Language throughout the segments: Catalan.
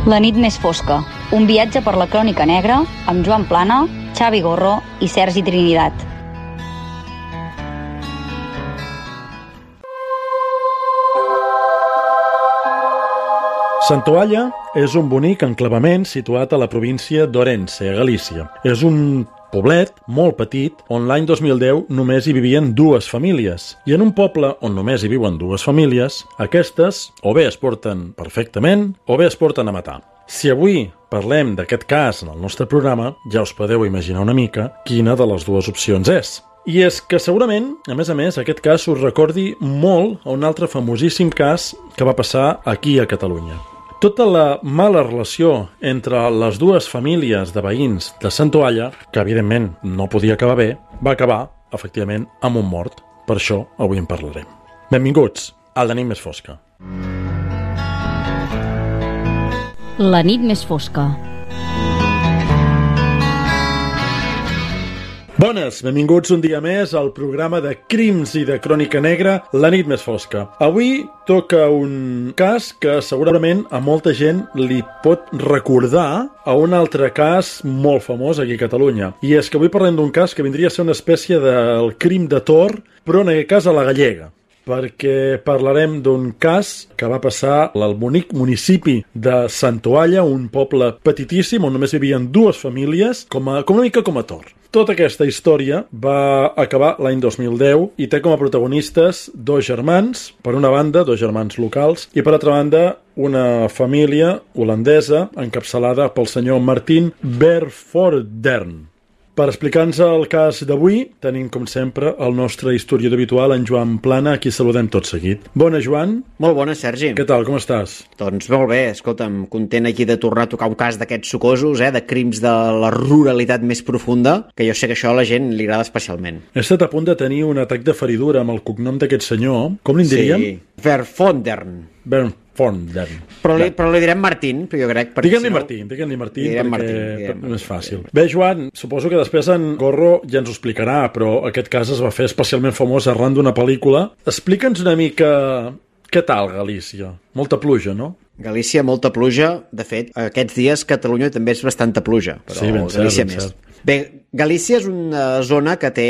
La nit més fosca, un viatge per la crònica negra amb Joan Plana, Xavi Gorro i Sergi Trinidad. Santoalla és un bonic enclavament situat a la província d'Orense, a Galícia. És un poblet molt petit on l'any 2010 només hi vivien 2 famílies. I en un poble on només hi viuen 2 famílies, aquestes o bé es porten perfectament o bé es porten a matar. Si avui parlem d'aquest cas en el nostre programa, ja us podeu imaginar una mica quina de les 2 opcions és. I és que segurament, a més, aquest cas us recordi molt a un altre famosíssim cas que va passar aquí a Catalunya. Tota la mala relació entre les 2 famílies de veïns de Santoalla, que evidentment no podia acabar bé, va acabar, efectivament, amb un mort. Per això avui en parlarem. Benvinguts a La nit més fosca. La nit més fosca. Bones, benvinguts un dia més al programa de crims i de crònica negra, La nit més fosca. Avui toca un cas que segurament a molta gent li pot recordar a un altre cas molt famós aquí a Catalunya. I és que avui parlem d'un cas que vindria a ser una espècie del crim de Tor, però en aquest cas a la gallega, perquè parlarem d'un cas que va passar al bonic municipi de Santoalla, un poble petitíssim on només vivien 2 famílies, com una mica com a Tor. Tota aquesta història va acabar l'any 2010 i té com a protagonistes 2 germans, per una banda, 2 germans locals, i per altra banda, una família holandesa encapçalada pel senyor Martin Vervoordt. Per explicar-nos el cas d'avui, tenim, com sempre, el nostre historiador habitual, en Joan Plana, a qui saludem tot seguit. Bona, Joan. Molt bona, Sergi. Què tal, com estàs? Doncs molt bé, escolta'm, content aquí de tornar a tocar un cas d'aquests sucosos, de crims de la ruralitat més profunda, que jo sé que això a la gent li agrada especialment. He estat a punt de tenir un atac de feridura amb el cognom d'aquest senyor. Com li diríem? Sí, Vervoordt. Però li direm Martín, però jo crec... Diguem-li Martín, perquè és més fàcil. Bé, Joan, suposo que després en Gorro ja ens ho explicarà, però aquest cas es va fer especialment famós arran d'una pel·lícula. Explica'ns una mica què tal Galícia. Molta pluja, no? Galícia, molta pluja. De fet, aquests dies Catalunya també és bastanta pluja, però sí, ben Galícia més. Bé, Galícia és una zona que té,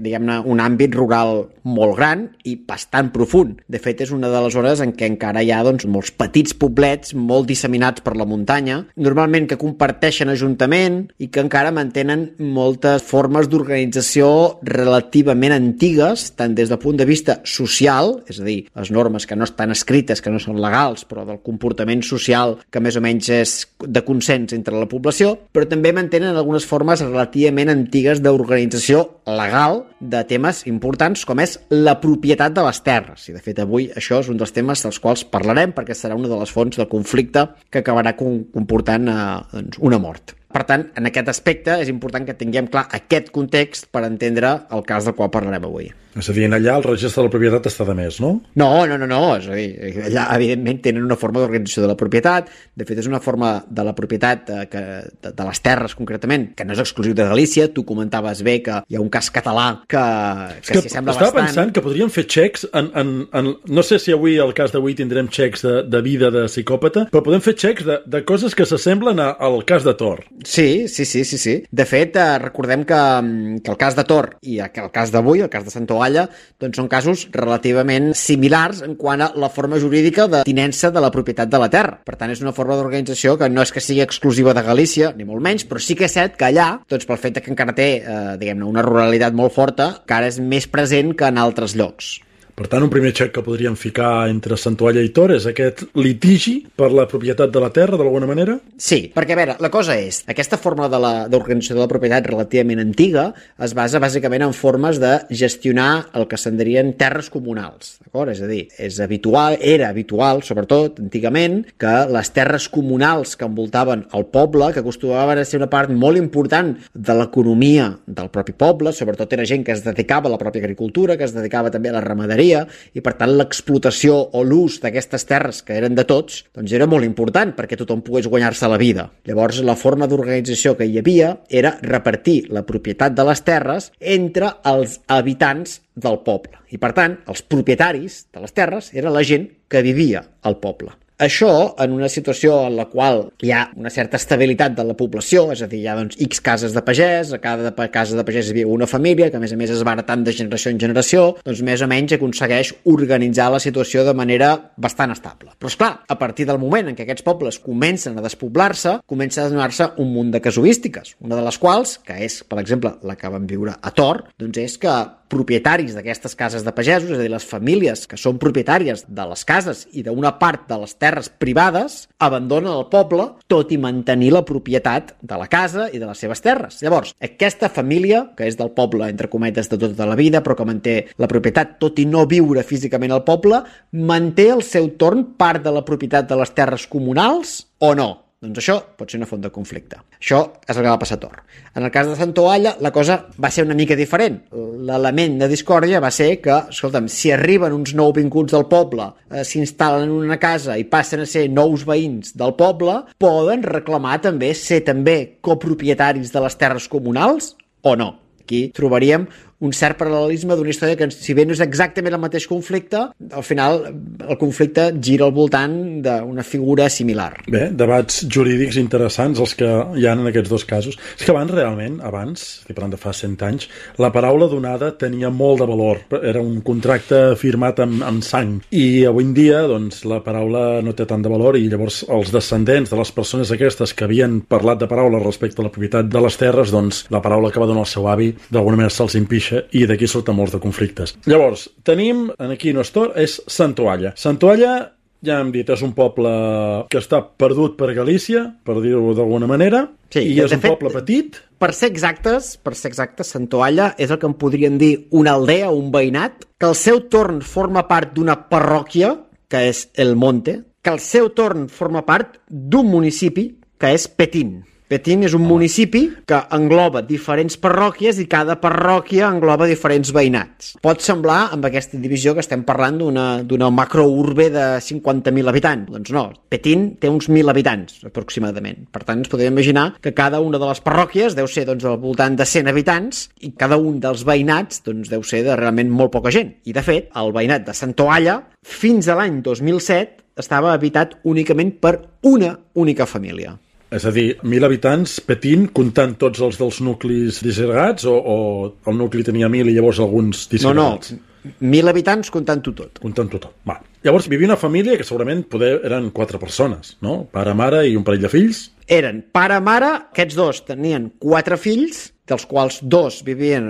diguem-ne, un àmbit rural molt gran i bastant profund. De fet, és una de les zones en què encara hi ha molts petits poblets molt disseminats per la muntanya, normalment que comparteixen ajuntament i que encara mantenen moltes formes d'organització relativament antigues, tant des del punt de vista social, és a dir, les normes que no estan escrites, que no són legals, però del comportament social que més o menys és de consens entre la població, però també mantenen algunes formes relativament antigues d'organització legal de temes importants com és la propietat de les terres. I de fet avui això és un dels temes dels quals parlarem perquè serà una de les fonts del conflicte que acabarà comportant una mort. Per tant, en aquest aspecte és important que tinguem clar aquest context per entendre el cas del qual parlarem avui. És a dir, allà el registre de la propietat està de més, no? No. És a dir, allà evidentment tenen una forma d'organització de la propietat. De fet, és una forma de la propietat de les terres concretament, que no és exclusiu de Galícia. Tu comentaves bé que hi ha un cas català que s'hi sembla bastant. Estava pensant que podríem fer xecs no sé si avui, el cas d'avui, tindrem xecs de vida de psicòpata, però podem fer xecs de coses que s'assemblen al cas de Tor. Sí. De fet, recordem que el cas de Tor i el cas d'avui, el cas de Santoalla, doncs són casos relativament similars en quant a la forma jurídica de tinença de la propietat de la terra. Per tant, és una forma d'organització que no és que sigui exclusiva de Galícia, ni molt menys, però sí que és cert que allà, doncs pel fet que encara té, diguem-ne, una ruralitat molt forta, encara és més present que en altres llocs. Per tant, un primer xec que podríem ficar entre Santoalla i Tor és aquest litigi per la propietat de la terra, d'alguna manera? Sí, perquè, a veure, la cosa és, aquesta forma d'organització de la propietat relativament antiga es basa bàsicament en formes de gestionar el que se'n dirien terres comunals, d'acord? És a dir, era habitual, sobretot, antigament, que les terres comunals que envoltaven el poble, que acostumaven a ser una part molt important de l'economia del propi poble, sobretot era gent que es dedicava a la pròpia agricultura, que es dedicava també a la ramaderia, i per tant l'explotació o l'ús d'aquestes terres que eren de tots doncs era molt important perquè tothom pogués guanyar-se la vida. Llavors la forma d'organització que hi havia era repartir la propietat de les terres entre els habitants del poble i per tant els propietaris de les terres era la gent que vivia al poble. Això, en una situació en la qual hi ha una certa estabilitat de la població, és a dir, hi ha doncs, X cases de pagès, a cada casa de pagès hi viu una família, que a més es va heretant de generació en generació, doncs més o menys aconsegueix organitzar la situació de manera bastant estable. Però esclar, a partir del moment en què aquests pobles comencen a despoblar-se, comença a donar-se un munt de casuístiques, una de les quals, que és, per exemple, la que vam viure a Tor, doncs és que propietaris d'aquestes cases de pagesos, és a dir, les famílies que són propietàries de les cases i d'una part de les terres privades, abandonen el poble, tot i mantenir la propietat de la casa i de les seves terres. Llavors, aquesta família, que és del poble, entre cometes, de tota la vida, però que manté la propietat, tot i no viure físicament al poble, manté al seu torn part de la propietat de les terres comunals o no? Doncs això pot ser una font de conflicte. Això és el que va passar a Tor. En el cas de Santoalla, la cosa va ser una mica diferent. L'element de discòrdia va ser que, escolta'm, si arriben uns nouvinguts del poble, s'instal·len en una casa i passen a ser nous veïns del poble, poden reclamar també ser també copropietaris de les terres comunals o no? Aquí trobaríem un cert paral·lelisme d'una història que, si bé no és exactament el mateix conflicte, al final el conflicte gira al voltant d'una figura similar. Bé, debats jurídics interessants els que hi ha en aquests dos casos. És que abans, estic parlant de fa 100 anys, la paraula donada tenia molt de valor. Era un contracte firmat amb sang. I avui en dia, doncs, la paraula no té tant de valor i llavors els descendents de les persones aquestes que havien parlat de paraula respecte a la propietat de les terres, doncs la paraula que va donar el seu avi d'alguna manera se'ls impixa i d'aquí surten molts de conflictes. Llavors, tenim, aquí no és Tor, és Santoalla. Santoalla, ja hem dit, és un poble que està perdut per Galícia, per dir-ho d'alguna manera, sí, i és un poble petit. Per ser exactes, Santoalla és el que en podríem dir una aldea, un veïnat, que al seu torn forma part d'una parròquia, que és El Monte, que al seu torn forma part d'un municipi, que és Petín. Petín és un municipi que engloba diferents parròquies i cada parròquia engloba diferents veïnats. Pot semblar, amb aquesta divisió, que estem parlant d'una macrourbe de 50.000 habitants. Doncs no, Petín té uns 1.000 habitants, aproximadament. Per tant, ens podem imaginar que cada una de les parròquies deu ser al voltant de 100 habitants i cada un dels veïnats deu ser de realment molt poca gent. I, de fet, el veïnat de Santoalla, fins a l'any 2007, estava habitat únicament per una única família. És a dir, 1.000 habitants, Petín, comptant tots els dels nuclis disgregats, o el nucli tenia 1.000 i llavors alguns disgregats? No, 1.000 habitants comptant-ho tot. Comptant-ho tot, va. Llavors vivia una família que segurament eren 4 persones, no? Pare, mare i un parell de fills? Eren pare, mare, aquests dos tenien 4 fills, dels quals 2 vivien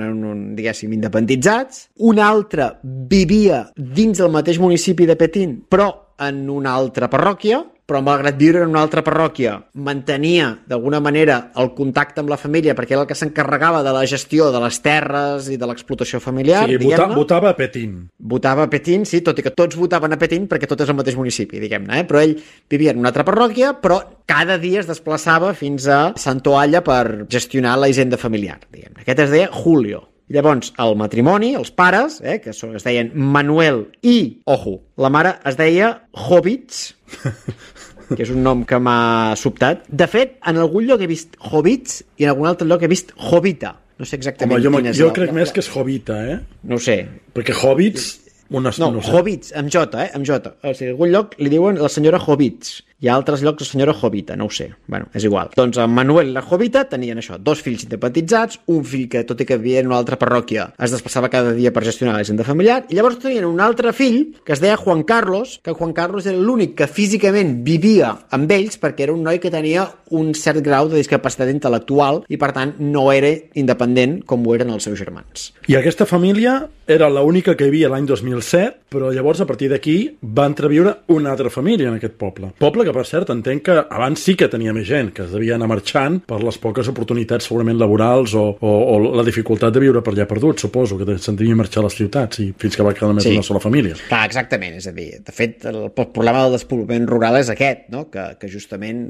diguéssim, independitzats, un altre vivia dins del mateix municipi de Petín, però en una altra parròquia, però malgrat viure en una altra parròquia mantenia d'alguna manera el contacte amb la família perquè era el que s'encarregava de la gestió de les terres i de l'explotació familiar. Sí, votava a Petín. Votava a Petín, sí, tot i que tots votaven a Petín perquè tot és el mateix municipi, diguem-ne, però ell vivia en una altra parròquia, però cada dia es desplaçava fins a Santoalla per gestionar la hisenda familiar, diguem-ne. Aquest es deia Julio. Llavors, el matrimoni, els pares, que es deien Manuel i, ojo, la mare es deia Jovits, que és un nom que m'ha sobtat. De fet, en algun lloc he vist Jovits i en algun altre lloc he vist Jovita. No sé exactament quin és. Jo crec més que és Jovita, No ho sé. Perquè Jovits... No, Jovits, amb J, amb J. O sigui, en algun lloc li diuen la senyora Jovits. Hi ha altres llocs la senyora Jovita, no ho sé. Bueno, és igual. Doncs en Manuel i la Jovita tenien això, 2 fills independitzats, un fill que, tot i que vivia en una altra parròquia, es desplaçava cada dia per gestionar la hisenda familiar, i llavors tenien un altre fill que es deia Juan Carlos, que Juan Carlos era l'únic que físicament vivia amb ells perquè era un noi que tenia un cert grau de discapacitat intel·lectual i, per tant, no era independent com ho eren els seus germans. I aquesta família era l'única que hi havia l'any 2007, però llavors, a partir d'aquí, va entreviure una altra família en aquest poble. Poble que, per cert, entenc que abans sí que tenia més gent, que es devia anar marxant per les poques oportunitats segurament laborals o la dificultat de viure per allà perdut, suposo, que se'n devia marxar a les ciutats i fins que va quedar només una sola família. Clar, exactament, és a dir, de fet, el problema del despoblament rural és aquest, no? que justament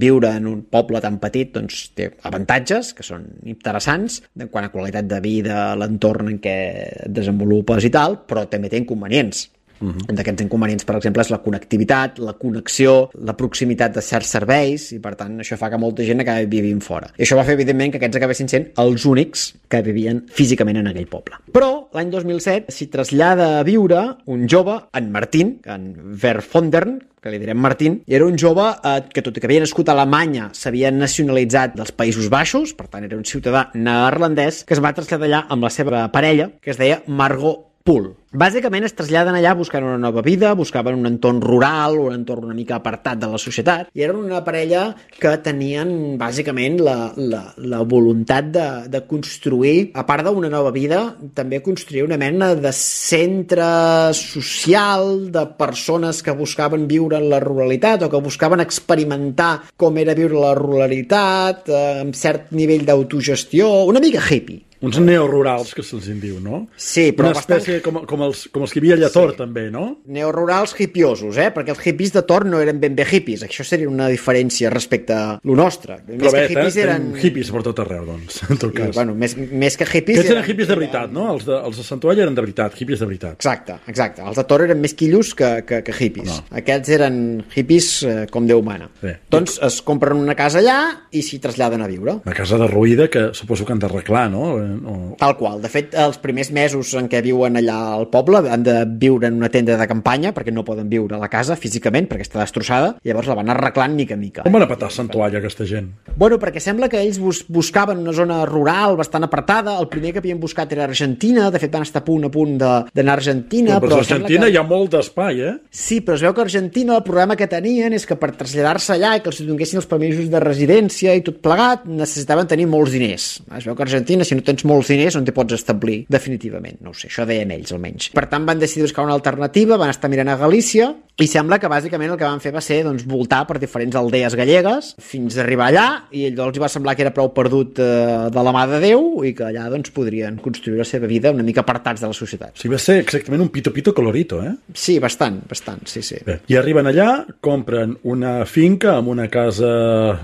viure en un poble tan petit doncs, té avantatges que són interessants en quant a qualitat de vida, l'entorn en què et desenvolupes i tal, però també té inconvenients. D'aquests inconvenients, per exemple, és la connectivitat, la connexió, la proximitat de certs serveis, i per tant això fa que molta gent acabi vivint fora. I això va fer, evidentment, que aquests acabessin sent els únics que vivien físicament en aquell poble. Però l'any 2007 s'hi trasllada a viure un jove, en Martín, en Verfondern, que li direm Martín, i era un jove que, tot i que havia nascut a Alemanya, s'havia nacionalitzat dels Països Baixos, per tant era un ciutadà neerlandès, que es va traslladar allà amb la seva parella, que es deia Margot Pool. Bàsicament es traslladen allà buscant una nova vida, buscaven un entorn rural, un entorn una mica apartat de la societat, i eren una parella que tenien bàsicament la voluntat de construir, a part d'una nova vida, també construir una mena de centre social de persones que buscaven viure en la ruralitat o que buscaven experimentar com era viure la ruralitat, amb cert nivell d'autogestió, una mica hippie. Uns neorurals, que se'ls en diu, no? Sí, però una espècie com els que hi havia allà a Tor, també, no? Neorurals hipiosos, perquè els hippies de Tor no eren ben bé hippies. Això seria una diferència respecte a lo nostre. Però bé, eren hippies per tot arreu, doncs, en tot cas. Bueno, més que hippies... Aquests eren hippies de veritat, no? Els de Sant Toall eren de veritat, hippies de veritat. Exacte. Els de Tor eren més quillos que hippies. No. Aquests eren hippies com Déu mana. Doncs es compren una casa allà i s'hi traslladen a viure. Una casa derruïda que suposo que han d'arreglar, no? Tal qual. De fet, els primers mesos en què viuen allà al poble han de viure en una tenda de campanya perquè no poden viure a la casa físicament perquè està destrossada, i llavors la van arreglant mica en mica. Com van a petar Sant Toall aquesta gent? Bueno, perquè sembla que ells buscaven una zona rural bastant apartada. El primer que havien buscat era Argentina. De fet, van estar a punt d'anar a Argentina. Però a Argentina hi ha molt d'espai, Sí, però es veu que a Argentina el problema que tenien és que per traslladar-se allà i que els donguessin els permisos de residència i tot plegat, necessitaven tenir molts diners. Es veu que a Argentina, si no tens molts diners, on t'hi pots establir definitivament. No ho sé, això deien ells almenys. Per tant, van decidir buscar una alternativa, van estar mirant a Galícia, i sembla que bàsicament el que van fer va ser voltar per diferents aldees gallegues fins a arribar allà, i allò els va semblar que era prou perdut de la mà de Déu i que allà podrien construir la seva vida una mica apartats de la societat. Sí, va ser exactament un pito colorito, Sí, bastant, sí. Bé, i arriben allà, compren una finca amb una casa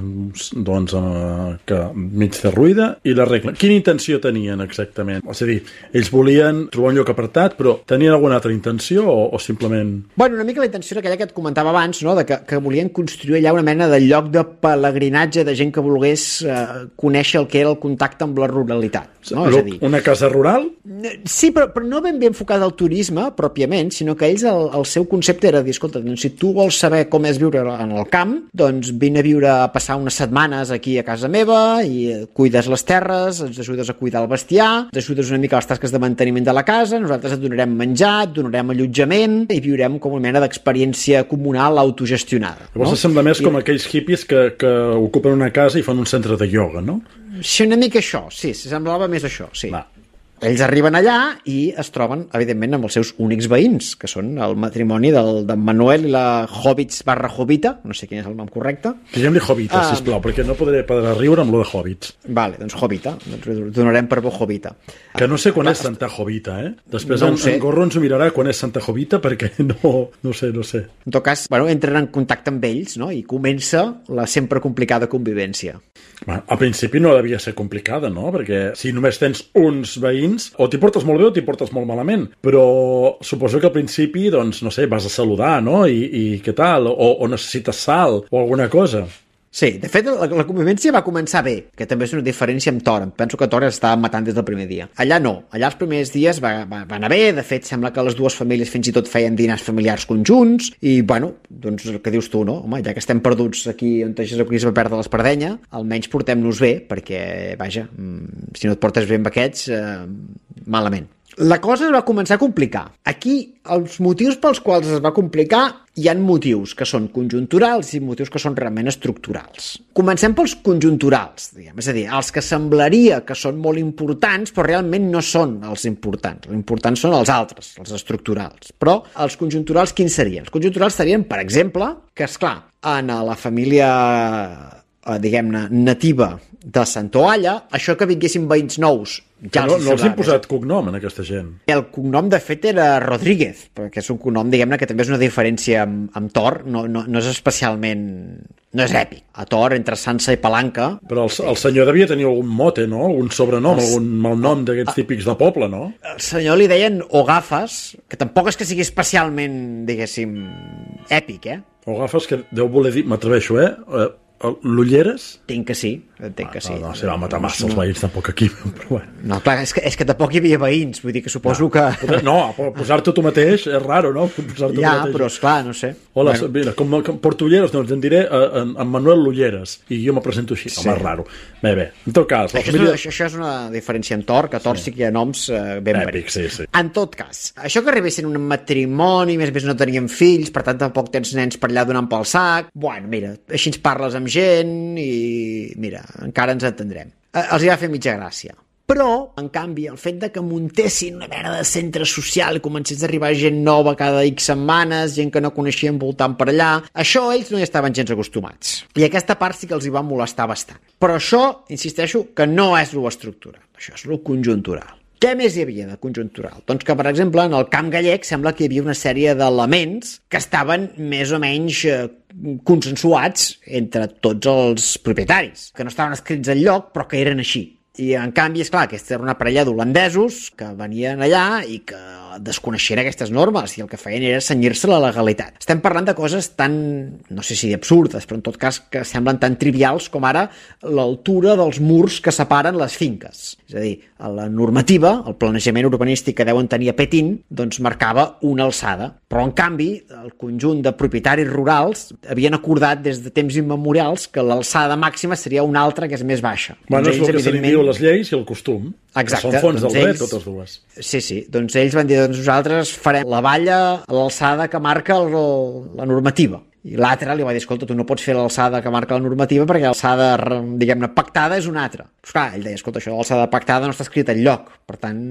que mig derruïda i l'arreglen. Quina intenció tenien exactament? És a dir, ells volien trobar un lloc apartat, però tenien alguna altra intenció o simplement... Bueno, una mica la intenció era aquella que et comentava abans, no? Que volien construir allà una mena de lloc de pelegrinatge de gent que volgués conèixer el que era el contacte amb la ruralitat. No? És a dir, una casa rural? Sí, però no ben bé enfocada al turisme, pròpiament, sinó que ells el seu concepte era dir, escolta, doncs, si tu vols saber com és viure en el camp, doncs vine a viure, a passar unes setmanes aquí a casa meva i cuides les terres, ens ajudes a cuidar el bestiar, ens ajudes una mica a les tasques de manteniment de la casa, nosaltres et donarem menjar, et donarem allotjament i viurem com una mena d'experiència comunal autogestionada. Llavors sembla més com aquells hippies que ocupen una casa i fan un centre de ioga, no? Sí, una mica això, sí, semblava més això, sí. Va. Ells arriben allà i es troben, evidentment, amb els seus únics veïns, que són el matrimoni d'en Manuel i la Hobbits/Hobbita, no sé quin és el nom correcte. Diguem-li Hobbita, sisplau, perquè no podré riure amb lo de Hobbits. Vale, doncs Hobbita, donarem per bo Hobbita. Que no sé quan és Santa Jovita, Després no en Gorro ens ho mirarà quan és Santa Jovita, perquè no sé. En tot cas, entren en contacte amb ells, no? I comença la sempre complicada convivència. Al principi no devia ser complicada, no? Perquè si només tens uns veïns, o t'hi portes molt bé o t'hi portes molt malament. Però suposo que al principi, doncs, no sé, vas a saludar, no? I què tal? O necessites sal o alguna cosa. Sí, de fet, la convivència va començar bé, que també és una diferència amb Tor. Penso que Tor estava matant des del primer dia. Allà no. Allà els primers dies va anar bé. De fet, sembla que les dues famílies fins i tot feien dinars familiars conjunts. I, doncs, el que dius tu, no? Home, ja que estem perduts aquí on es va perdre l'espardenya, almenys portem-nos bé, perquè, vaja, si no et portes bé amb aquests, malament. La cosa es va començar a complicar. Aquí, els motius pels quals es va complicar, hi ha motius que són conjunturals i motius que són realment estructurals. Comencem pels conjunturals, diguem. És a dir, els que semblaria que són molt importants, però realment no són els importants. Els importants són els altres, els estructurals. Però els conjunturals, quins serien? Els conjunturals serien, per exemple, que, esclar, en la família diguem-ne, nativa de Santoalla, això que vinguessin veïns nous ja no els han posat cognom en aquesta gent. El cognom de fet era Rodríguez, perquè és un cognom, diguem-ne, que també és una diferència amb Tor, no és especialment, no és èpic. A Tor, entre Sansa i Palanca... Però el senyor devia tenir algun mote, no? Algun sobrenom, algun malnom d'aquests típics de poble, no? El senyor li deien Ogafes, que tampoc és que sigui especialment, diguéssim, èpic, Ogafes, que deu voler dir, m'atreveixo, l'Ulleres? Entenc que sí. No, se va matar massa els veïns tampoc aquí, però bueno. No, clar, és que tampoc hi havia veïns, vull dir que suposo que... No, posar-te tu mateix és raro, no? Però esclar, no sé. Hola, mira, com porto Ulleres, doncs en diré en Manuel Ulleres, i jo me presento així, home, és raro. Bé, en tot cas... Això és una diferència en Tor, que a Tor sí que hi ha noms ben èpics. Sí. En tot cas, això que arribessin un matrimoni, més no tenien fills, per tant tampoc tens nens per allà donant pel sac, bueno, mira, així ens parles amb gent i mira, encara ens entendrem. Els hi va fer mitja gràcia. Però, en canvi, el fet de que muntessin una mena de centre social i comencés a arribar gent nova cada X setmanes, gent que no coneixien voltant per allà, això ells no hi estaven gens acostumats. I aquesta part sí que els hi va molestar bastant. Però això, insisteixo, que no és lo estructural, això és lo conjuntural. Què més hi havia de conjuntural? Doncs que, per exemple, en el camp gallec sembla que hi havia una sèrie d'elements que estaven més o menys consensuats entre tots els propietaris, que no estaven escrits enlloc, però que eren així. I, en canvi, és clar, aquesta era una parella d'holandesos que venien allà i que desconeixien aquestes normes i el que feien era cenyir-se a la legalitat. Estem parlant de coses tan, no sé si absurdes, però en tot cas que semblen tan trivials com ara l'altura dels murs que separen les finques. És a dir, la normativa, el planejament urbanístic que deuen tenir a Petín, doncs marcava una alçada. Però, en canvi, el conjunt de propietaris rurals havien acordat des de temps immemorials que l'alçada màxima seria una altra que és més baixa. Bueno, és el que se li diu les lleis i el costum. Exacte. Que són fonts del dret, totes dues. Sí. Doncs ells van dir, doncs nosaltres farem la valla a l'alçada que marca la normativa. I l'altre li va dir, escolta, tu no pots fer l'alçada que marca la normativa perquè l'alçada, diguem-ne, pactada és una altra. Pues clar, ell deia, escolta, això de l'alçada pactada no està escrit enlloc. Per tant,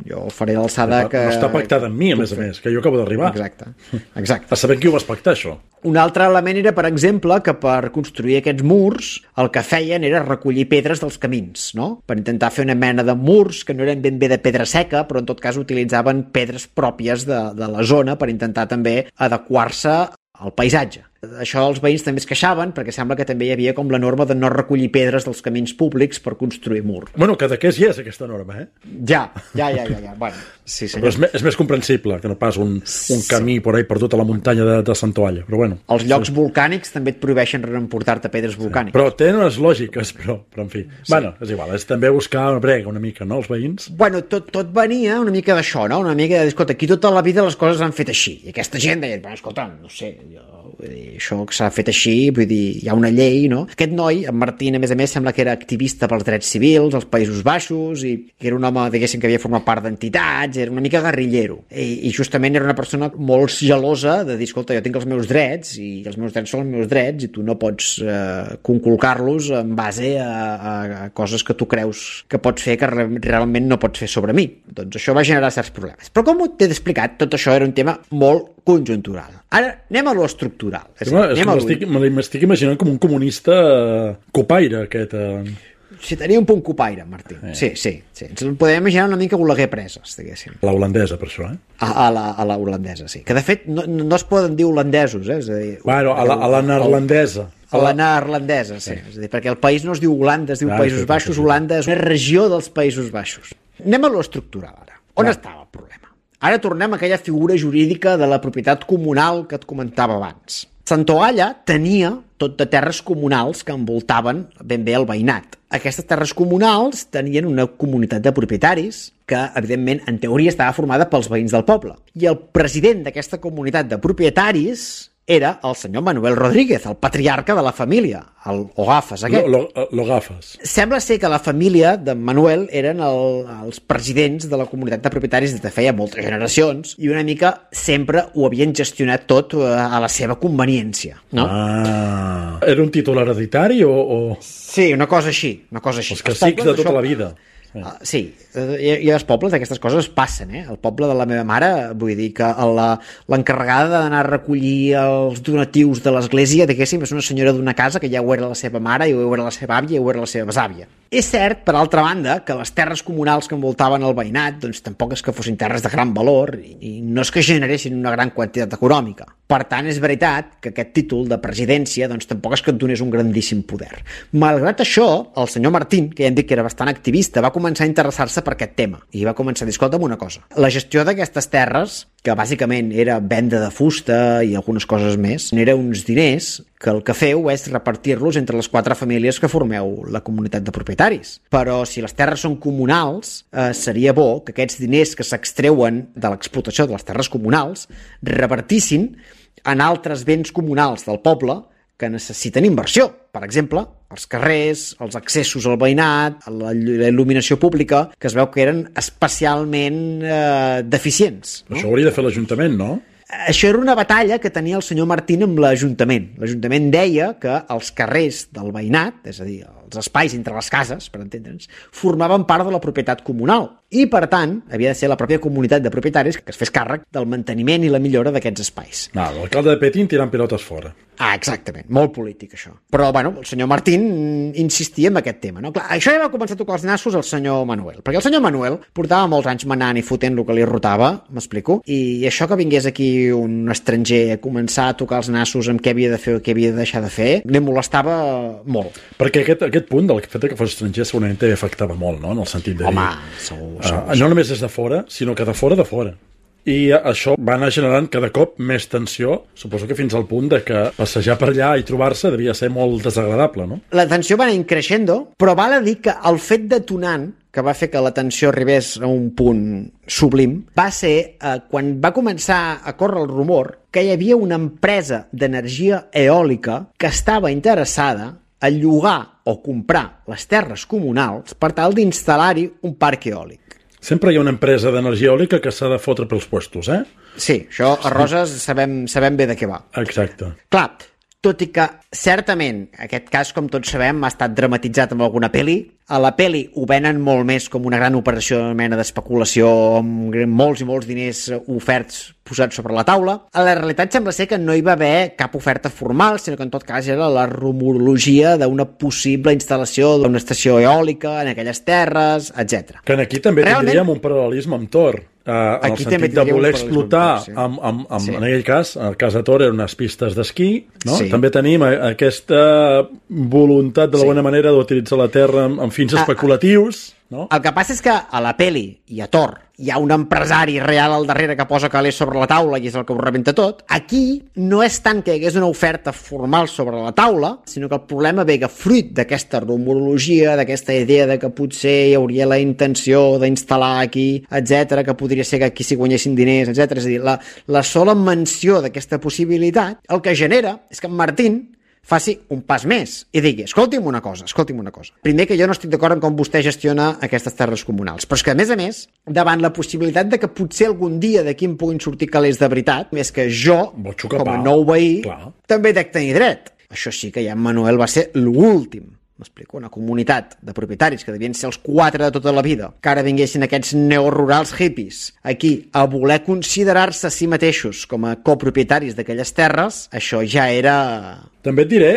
jo faré l'alçada que... No està pactada amb mi, a més, que jo acabo d'arribar. Exacte. A saber qui ho vas pactar, això. Un altre element era, per exemple, que per construir aquests murs el que feien era recollir pedres dels camins, no? Per intentar fer una mena de murs que no eren ben bé de pedra seca, però en tot cas utilitzaven pedres pròpies de la zona per intentar també adequar-se al paisatge. Això els veïns també es queixaven perquè sembla que també hi havia com la norma de no recollir pedres dels camins públics per construir mur. Bueno, Cadaqués hi és aquesta norma, Ja. Bueno, sí, senyor. Però és més comprensible que no pas un camí por ahí per tota la muntanya de Santoalla, però bueno. Els llocs volcànics també et prohibeixen emportar-te pedres volcàniques. Però tenen unes lògiques, però en fi. Sí. Bueno, és igual, és també buscar una brega una mica, no, els veïns? Bueno, tot venia una mica d'això, no? Una mica de, escolta, aquí tota la vida les coses han fet així. I aquesta gent deia, bueno, escolta, no sé, vull dir, això que s'ha fet així, vull dir, hi ha una llei, no? Aquest noi, en Martín, a més, sembla que era activista pels drets civils als Països Baixos i que era un home, diguéssim, que havia format part d'entitats, era una mica guerrillero. I justament era una persona molt gelosa de dir, escolta, jo tinc els meus drets i els meus drets són els meus drets i tu no pots conculcar-los en base a coses que tu creus que pots fer que realment no pots fer sobre mi. Doncs això va generar certs problemes. Però com t'he explicat, tot això era un tema molt conjuntural. Ara anem a lo estructural. M'estic imaginant com un comunista copaire, aquest... Sí, tenia un punt copaire, Martí. Sí. Ens el podem imaginar una mica Oleguer Preses, diguéssim. La holandesa, per això, A la holandesa, sí. Que, de fet, no es poden dir holandesos, És a dir... Bueno, a la neerlandesa. A la neerlandesa, sí. És a dir, perquè el país no es diu Holanda, es diu Països Baixos. Holanda és una regió dels Països Baixos. Anem a lo estructural, ara. On estava el problema? Ara tornem a aquella figura jurídica de la propietat comunal que et comentava abans. Santoalla tenia tot de terres comunals que envoltaven ben bé el veïnat. Aquestes terres comunals tenien una comunitat de propietaris que, evidentment, en teoria estava formada pels veïns del poble. I el president d'aquesta comunitat de propietaris era el senyor Manuel Rodríguez, el patriarca de la família, el Ogafes aquest. L'Ogafes. Sembla ser que la família de Manuel eren els presidents de la comunitat de propietaris des de feia moltes generacions i una mica sempre ho havien gestionat tot a la seva conveniència, no? Era un títol hereditari o...? Sí, una cosa així. Els cacics de tota la vida. Sí, i als pobles aquestes coses passen, El poble de la meva mare, vull dir que l'encarregada d'anar a recollir els donatius de l'església, diguéssim, és una senyora d'una casa que ja ho era la seva mare, i ho era la seva àvia, i ho era la seva besàvia. És cert, per altra banda, que les terres comunals que envoltaven el veïnat, doncs tampoc és que fossin terres de gran valor i no és que generessin una gran quantitat econòmica. Per tant, és veritat que aquest títol de presidència doncs tampoc és que et donés un grandíssim poder. Malgrat això, el senyor Martín, que ja hem dit que era bastant activista, va començar a interessar-se per aquest tema i va començar a dir, escolta'm una cosa, la gestió d'aquestes terres, que bàsicament era venda de fusta i algunes coses més, era uns diners que el que feu és repartir-los entre les 4 famílies que formeu la comunitat de propietaris. Però si les terres són comunals, seria bo que aquests diners que s'extreuen de l'explotació de les terres comunals repartissin en altres béns comunals del poble que necessiten inversió. Per exemple, els carrers, els accessos al veïnat, la il·luminació pública, que es veu que eren especialment deficients. No? Això ho hauria de fer l'Ajuntament, no? Això era una batalla que tenia el senyor Martín amb l'Ajuntament. L'Ajuntament deia que els carrers del veïnat, és a dir, els espais entre les cases, per entendre'ns, formaven part de la propietat comunal i, per tant, havia de ser la pròpia comunitat de propietaris que es fes càrrec del manteniment i la millora d'aquests espais. L'alcalde de Petín tirant pilotes fora. Exactament, molt polític això. Però, bueno, el senyor Martín insistia en aquest tema, no? Clar, això ja va començar a tocar els nassos al senyor Manuel, perquè el senyor Manuel portava molts anys manant i fotent el que li rotava, m'explico, i això que vingués aquí un estranger a començar a tocar els nassos amb què havia de fer o què havia de deixar de fer, li molestava molt. Perquè aquest punt del fet que fos estranger segurament també afectava molt, no?, en el sentit de dir... Home, segur. No només és de fora, sinó que de fora de fora. I això va anar generant cada cop més tensió, suposo que fins al punt de que passejar per allà i trobar-se devia ser molt desagradable, no? La tensió va anar creixent, però val a dir que el fet detonant que va fer que la tensió arribés a un punt sublim va ser quan va començar a córrer el rumor que hi havia una empresa d'energia eòlica que estava interessada a llogar o comprar les terres comunals per tal d'instal·lar-hi un parc eòlic. Sempre hi ha una empresa d'energia eòlica que s'ha de fotre pels puestos, Sí, això a Roses sabem bé de què va. Exacte. Clar, tot i que certament aquest cas, com tots sabem, ha estat dramatitzat amb alguna pel·li. A la pel·li ho venen molt més com una gran operació de mena d'especulació amb molts i molts diners oferts posats sobre la taula. A la realitat sembla ser que no hi va haver cap oferta formal, sinó que en tot cas era la rumorologia d'una possible instal·lació d'una estació eòlica en aquelles terres, etc. Que aquí també tindríem un paral·lelisme amb Thor. En el sentit de voler explotar en aquell cas, el cas de Thor eren unes pistes d'esquí, no? Sí. També tenim aquesta voluntat d'alguna manera d'utilitzar la terra amb fins especulatius, no? El que passa és que a la peli i a Thor hi ha un empresari real al darrere que posa calés sobre la taula i és el que ho rebenta tot. Aquí no és tant que hi hagués una oferta formal sobre la taula, sinó que el problema ve que fruit d'aquesta rumorologia, d'aquesta idea de que potser hi hauria la intenció d'instal·lar aquí, etc, que podria ser que aquí s'hi guanyessin diners, etc. És a dir, la sola menció d'aquesta possibilitat el que genera és que en Martín faci un pas més i digui, escolti'm una cosa. Primer, que jo no estic d'acord amb com vostè gestiona aquestes terres comunals, però és que, a més, davant la possibilitat de que potser algun dia d'aquí em puguin sortir calés de veritat, més que jo, com a nou veí, també dec tenir dret. Això sí que ja en Manuel va ser l'últim. M'explico, una comunitat de propietaris que devien ser els 4 de tota la vida, que ara vinguessin aquests neorurals hippies aquí a voler considerar-se a si mateixos com a copropietaris d'aquelles terres, això ja era... També et diré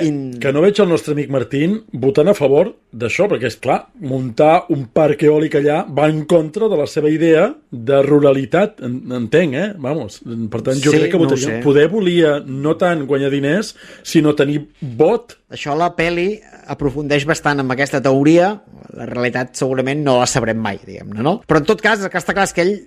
que no veig el nostre amic Martín votant a favor d'això, perquè, és clar, muntar un parc eòlic allà va en contra de la seva idea de ruralitat, entenc, Vamos. Per tant, jo crec que votaria. Poder volia no tant guanyar diners, sinó tenir vot. Això la peli aprofundeix bastant amb aquesta teoria, la realitat segurament no la sabrem mai, diguem-ne, no? Però en tot cas, el que està clar és que ell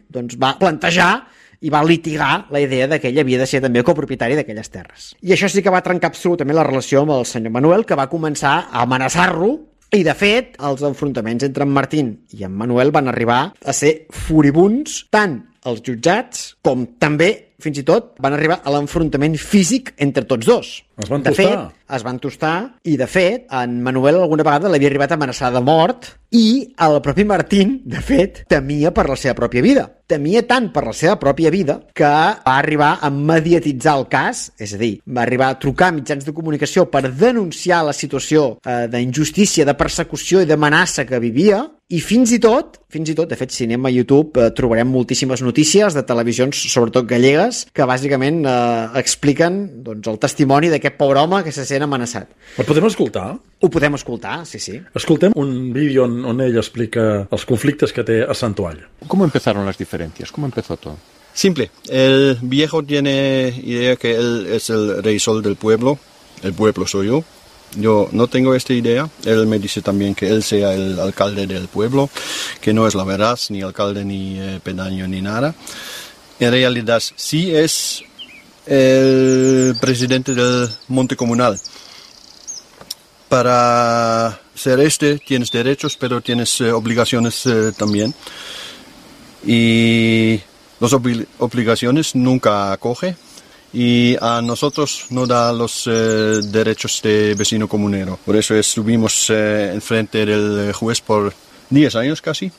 va plantejar i va litigar la idea de que ell havia de ser també copropietari d'aquelles terres. I això sí que va trencar absolutament la relació amb el senyor Manuel, que va començar a amenaçar-lo, i de fet, els enfrontaments entre en Martín i en Manuel van arribar a ser furibuns, tant als jutjats com també, fins i tot, van arribar a l'enfrontament físic entre tots dos. Es van tostar. Es van tostar i, de fet, en Manuel alguna vegada l'havia arribat a amenaçar de mort i el propi Martín, de fet, temia per la seva pròpia vida. Temia tant per la seva pròpia vida que va arribar a mediatitzar el cas, és a dir, va arribar a trucar a mitjans de comunicació per denunciar la situació d'injustícia, de persecució i d'amenaça que vivia I fins i tot, de fet, si anem a YouTube trobarem moltíssimes notícies de televisions, sobretot gallegues, que bàsicament expliquen doncs, el testimoni d'aquest pobre home que se sent amenaçat. El podem escoltar? Ho podem escoltar, sí. Escoltem un vídeo on ell explica els conflictes que té a Santualla. ¿Cómo empezaron las diferencias? ¿Cómo empezó todo? Simple. El viejo tiene idea que él es el rey sol del pueblo. El pueblo soy yo. Yo no tengo esta idea. Él me dice también que él sea el alcalde del pueblo, que no es la verdad, ni alcalde, ni pedaño, ni nada. En realidad sí es el presidente del monte comunal. Para ser tienes derechos, pero tienes obligaciones también. Y las obligaciones nunca acoge. Y a nosotros no da los derechos de vecino comunero. Por eso estuvimos enfrente del juez por 10 años casi.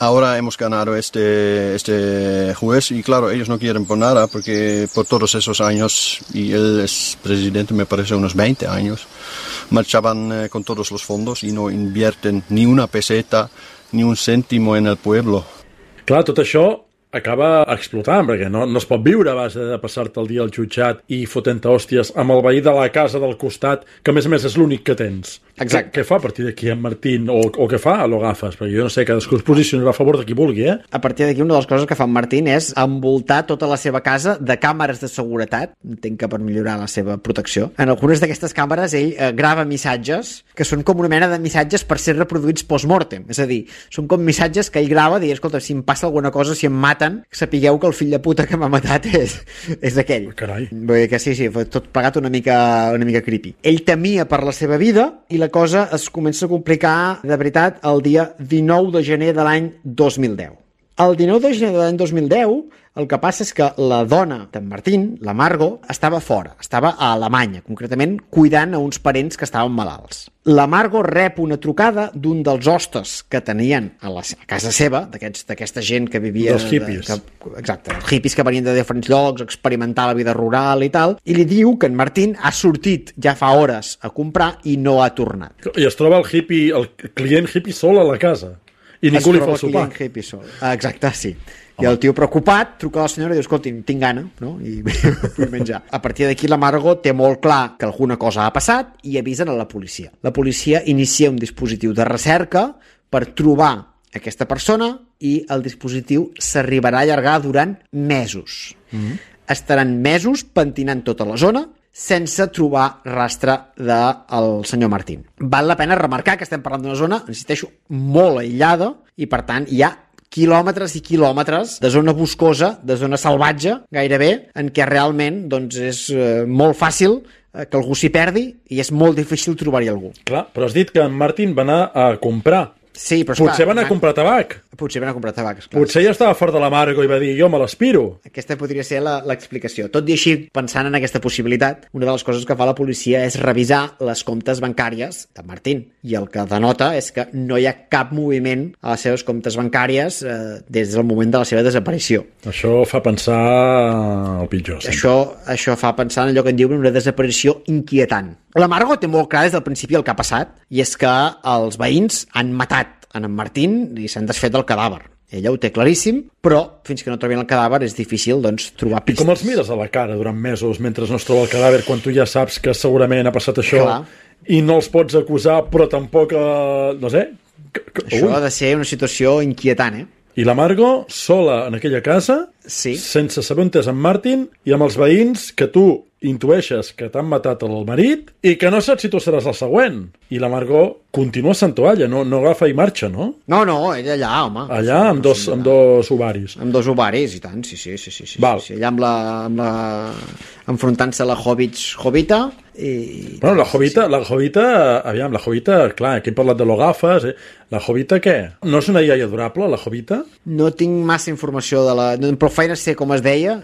Ahora hemos ganado este juez y claro, ellos no quieren por nada porque por todos esos años, y él es presidente me parece unos 20 años, marchaban con todos los fondos y no invierten ni una peseta, ni un céntimo en el pueblo. Clar, tot això acaba explotant, perquè no es pot viure a base de passar-te el dia al jutjat i fotent hòsties amb el veí de la casa del costat, que a més és l'únic que tens. Exacte. Què fa a partir d'aquí en Martín? O què fa a lo Gafas? Perquè jo no sé, cadascú es posicionarà a favor de qui vulgui, eh? A partir d'aquí, una de les coses que fa en Martín és envoltar tota la seva casa de càmeres de seguretat, entenc que per millorar la seva protecció. En algunes d'aquestes càmeres ell grava missatges que són com una mena de missatges per ser reproduïts post-mortem. És a dir, són com missatges que ell grava i escolta, si em passa alguna cosa, si em maten, sapigueu que el fill de puta que m'ha matat és aquell. Carai. Vull dir que sí, tot plegat una mica creepy. Ell temia per la seva vida i la cosa es comença a complicar de veritat el dia 19 de gener de l'any 2010. El 19 de gener de l'any 2010 el que passa és que la dona d'en Martín, la Margo, estava fora, estava a Alemanya, concretament cuidant a uns parents que estaven malalts. La Margo rep una trucada d'un dels hostes que tenien a casa seva, d'aquesta gent que vivia... Dels hippies. Exacte, els hippies que venien de diferents llocs, experimentar la vida rural i tal, i li diu que en Martín ha sortit ja fa hores a comprar i no ha tornat. I es troba el client hippie sol a la casa. I ningú li fa el sopar. Exacte, sí. I el tio preocupat truca a la senyora i diu, escolti, tinc gana, no? I vull menjar. A partir d'aquí la Margo té molt clar que alguna cosa ha passat i avisen a la policia. La policia inicia un dispositiu de recerca per trobar aquesta persona i el dispositiu s'arribarà a allargar durant mesos. Estaran mesos pentinant tota la zona sense trobar rastre del senyor Martín. Val la pena remarcar que estem parlant d'una zona, insisteixo, molt aïllada i per tant hi ha quilòmetres i quilòmetres de zona boscosa, de zona salvatge, gairebé, en què realment doncs, és molt fàcil que algú s'hi perdi i és molt difícil trobar-hi algú. Clar, però has dit que en Martín va anar a comprar. Sí, però potser va anar a comprar tabac. Potser va anar a comprar tabac, esclar. Potser ja estava fort de la Margo i va dir, jo me l'aspiro. Aquesta podria ser l'explicació. Tot i així, pensant en aquesta possibilitat, una de les coses que fa la policia és revisar les comptes bancàries de Martín. I el que denota és que no hi ha cap moviment a les seves comptes bancàries des del moment de la seva desaparició. Això fa pensar el pitjor. Això fa pensar en allò que en diuen una desaparició inquietant. La Margo té molt clar des del principi el que ha passat, i és que els veïns han matat en Martín i s'han desfet del cadàver. Ella ho té claríssim, però fins que no trobin el cadàver és difícil doncs, trobar pistes. I com els mires a la cara durant mesos mentre no es troba el cadàver, quan tu ja saps que segurament ha passat això? Clar. I no els pots acusar, però tampoc, no sé... Això ha de ser una situació inquietant, I la Margo, sola en aquella casa, sí, sense saber on és en Martín, i amb els veïns que tu intueixes que t'han matat el marit i que no saps si tu seràs el següent. I la Margo continua a Santualla, no agafa i marxa, no? No, ella allà, home. Allà, amb dos ovaris. Amb dos ovaris, i tant, sí. Val. Sí. Allà enfrontant-se a la Jovita i... Bueno, la Jovita, aviam, la Jovita, clar, aquí hem parlat de l'Ogafes, la Jovita què? No és una iaia adorable, la Jovita? No tinc massa informació de la... Prou feina sé com es deia,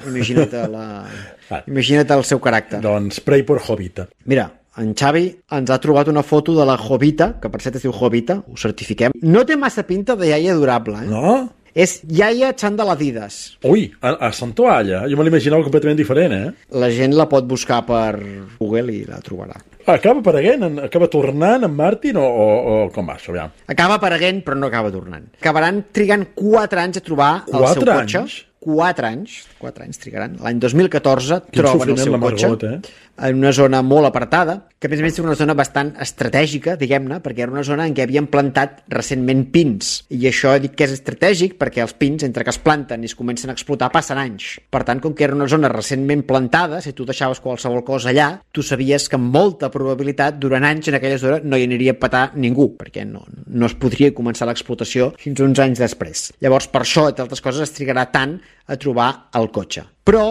imagina't el seu caràcter. Doncs pray por Jovita. Mira, en Xavi ens ha trobat una foto de la Jovita, que per cert es diu Jovita, ho certifiquem. No té massa pinta de iaia adorable, No? És Yaya Chandeladides. Ui, a Santoalla. Jo me l'imaginava completament diferent, La gent la pot buscar per Google i la trobarà. Acaba apareguent, acaba tornant en Martin o com va això, aviam? Acaba apareguent, però no acaba tornant. Acabaran trigant 4 anys a trobar el seu cotxe. 4 anys trigaran. L'any 2014 troben el seu cotxe en una zona molt apartada, que a més és una zona bastant estratègica, diguem-ne, perquè era una zona en què havien plantat recentment pins. I això dic que és estratègic perquè els pins, entre que es planten i es comencen a explotar, passen anys. Per tant, com que era una zona recentment plantada, si tu deixaves qualsevol cosa allà, tu sabies que amb molta probabilitat durant anys en aquella zona no hi aniria a petar ningú, perquè no es podria començar l'explotació fins uns anys després. Llavors, per això, entre altres coses, es trigarà tant a trobar el cotxe. Però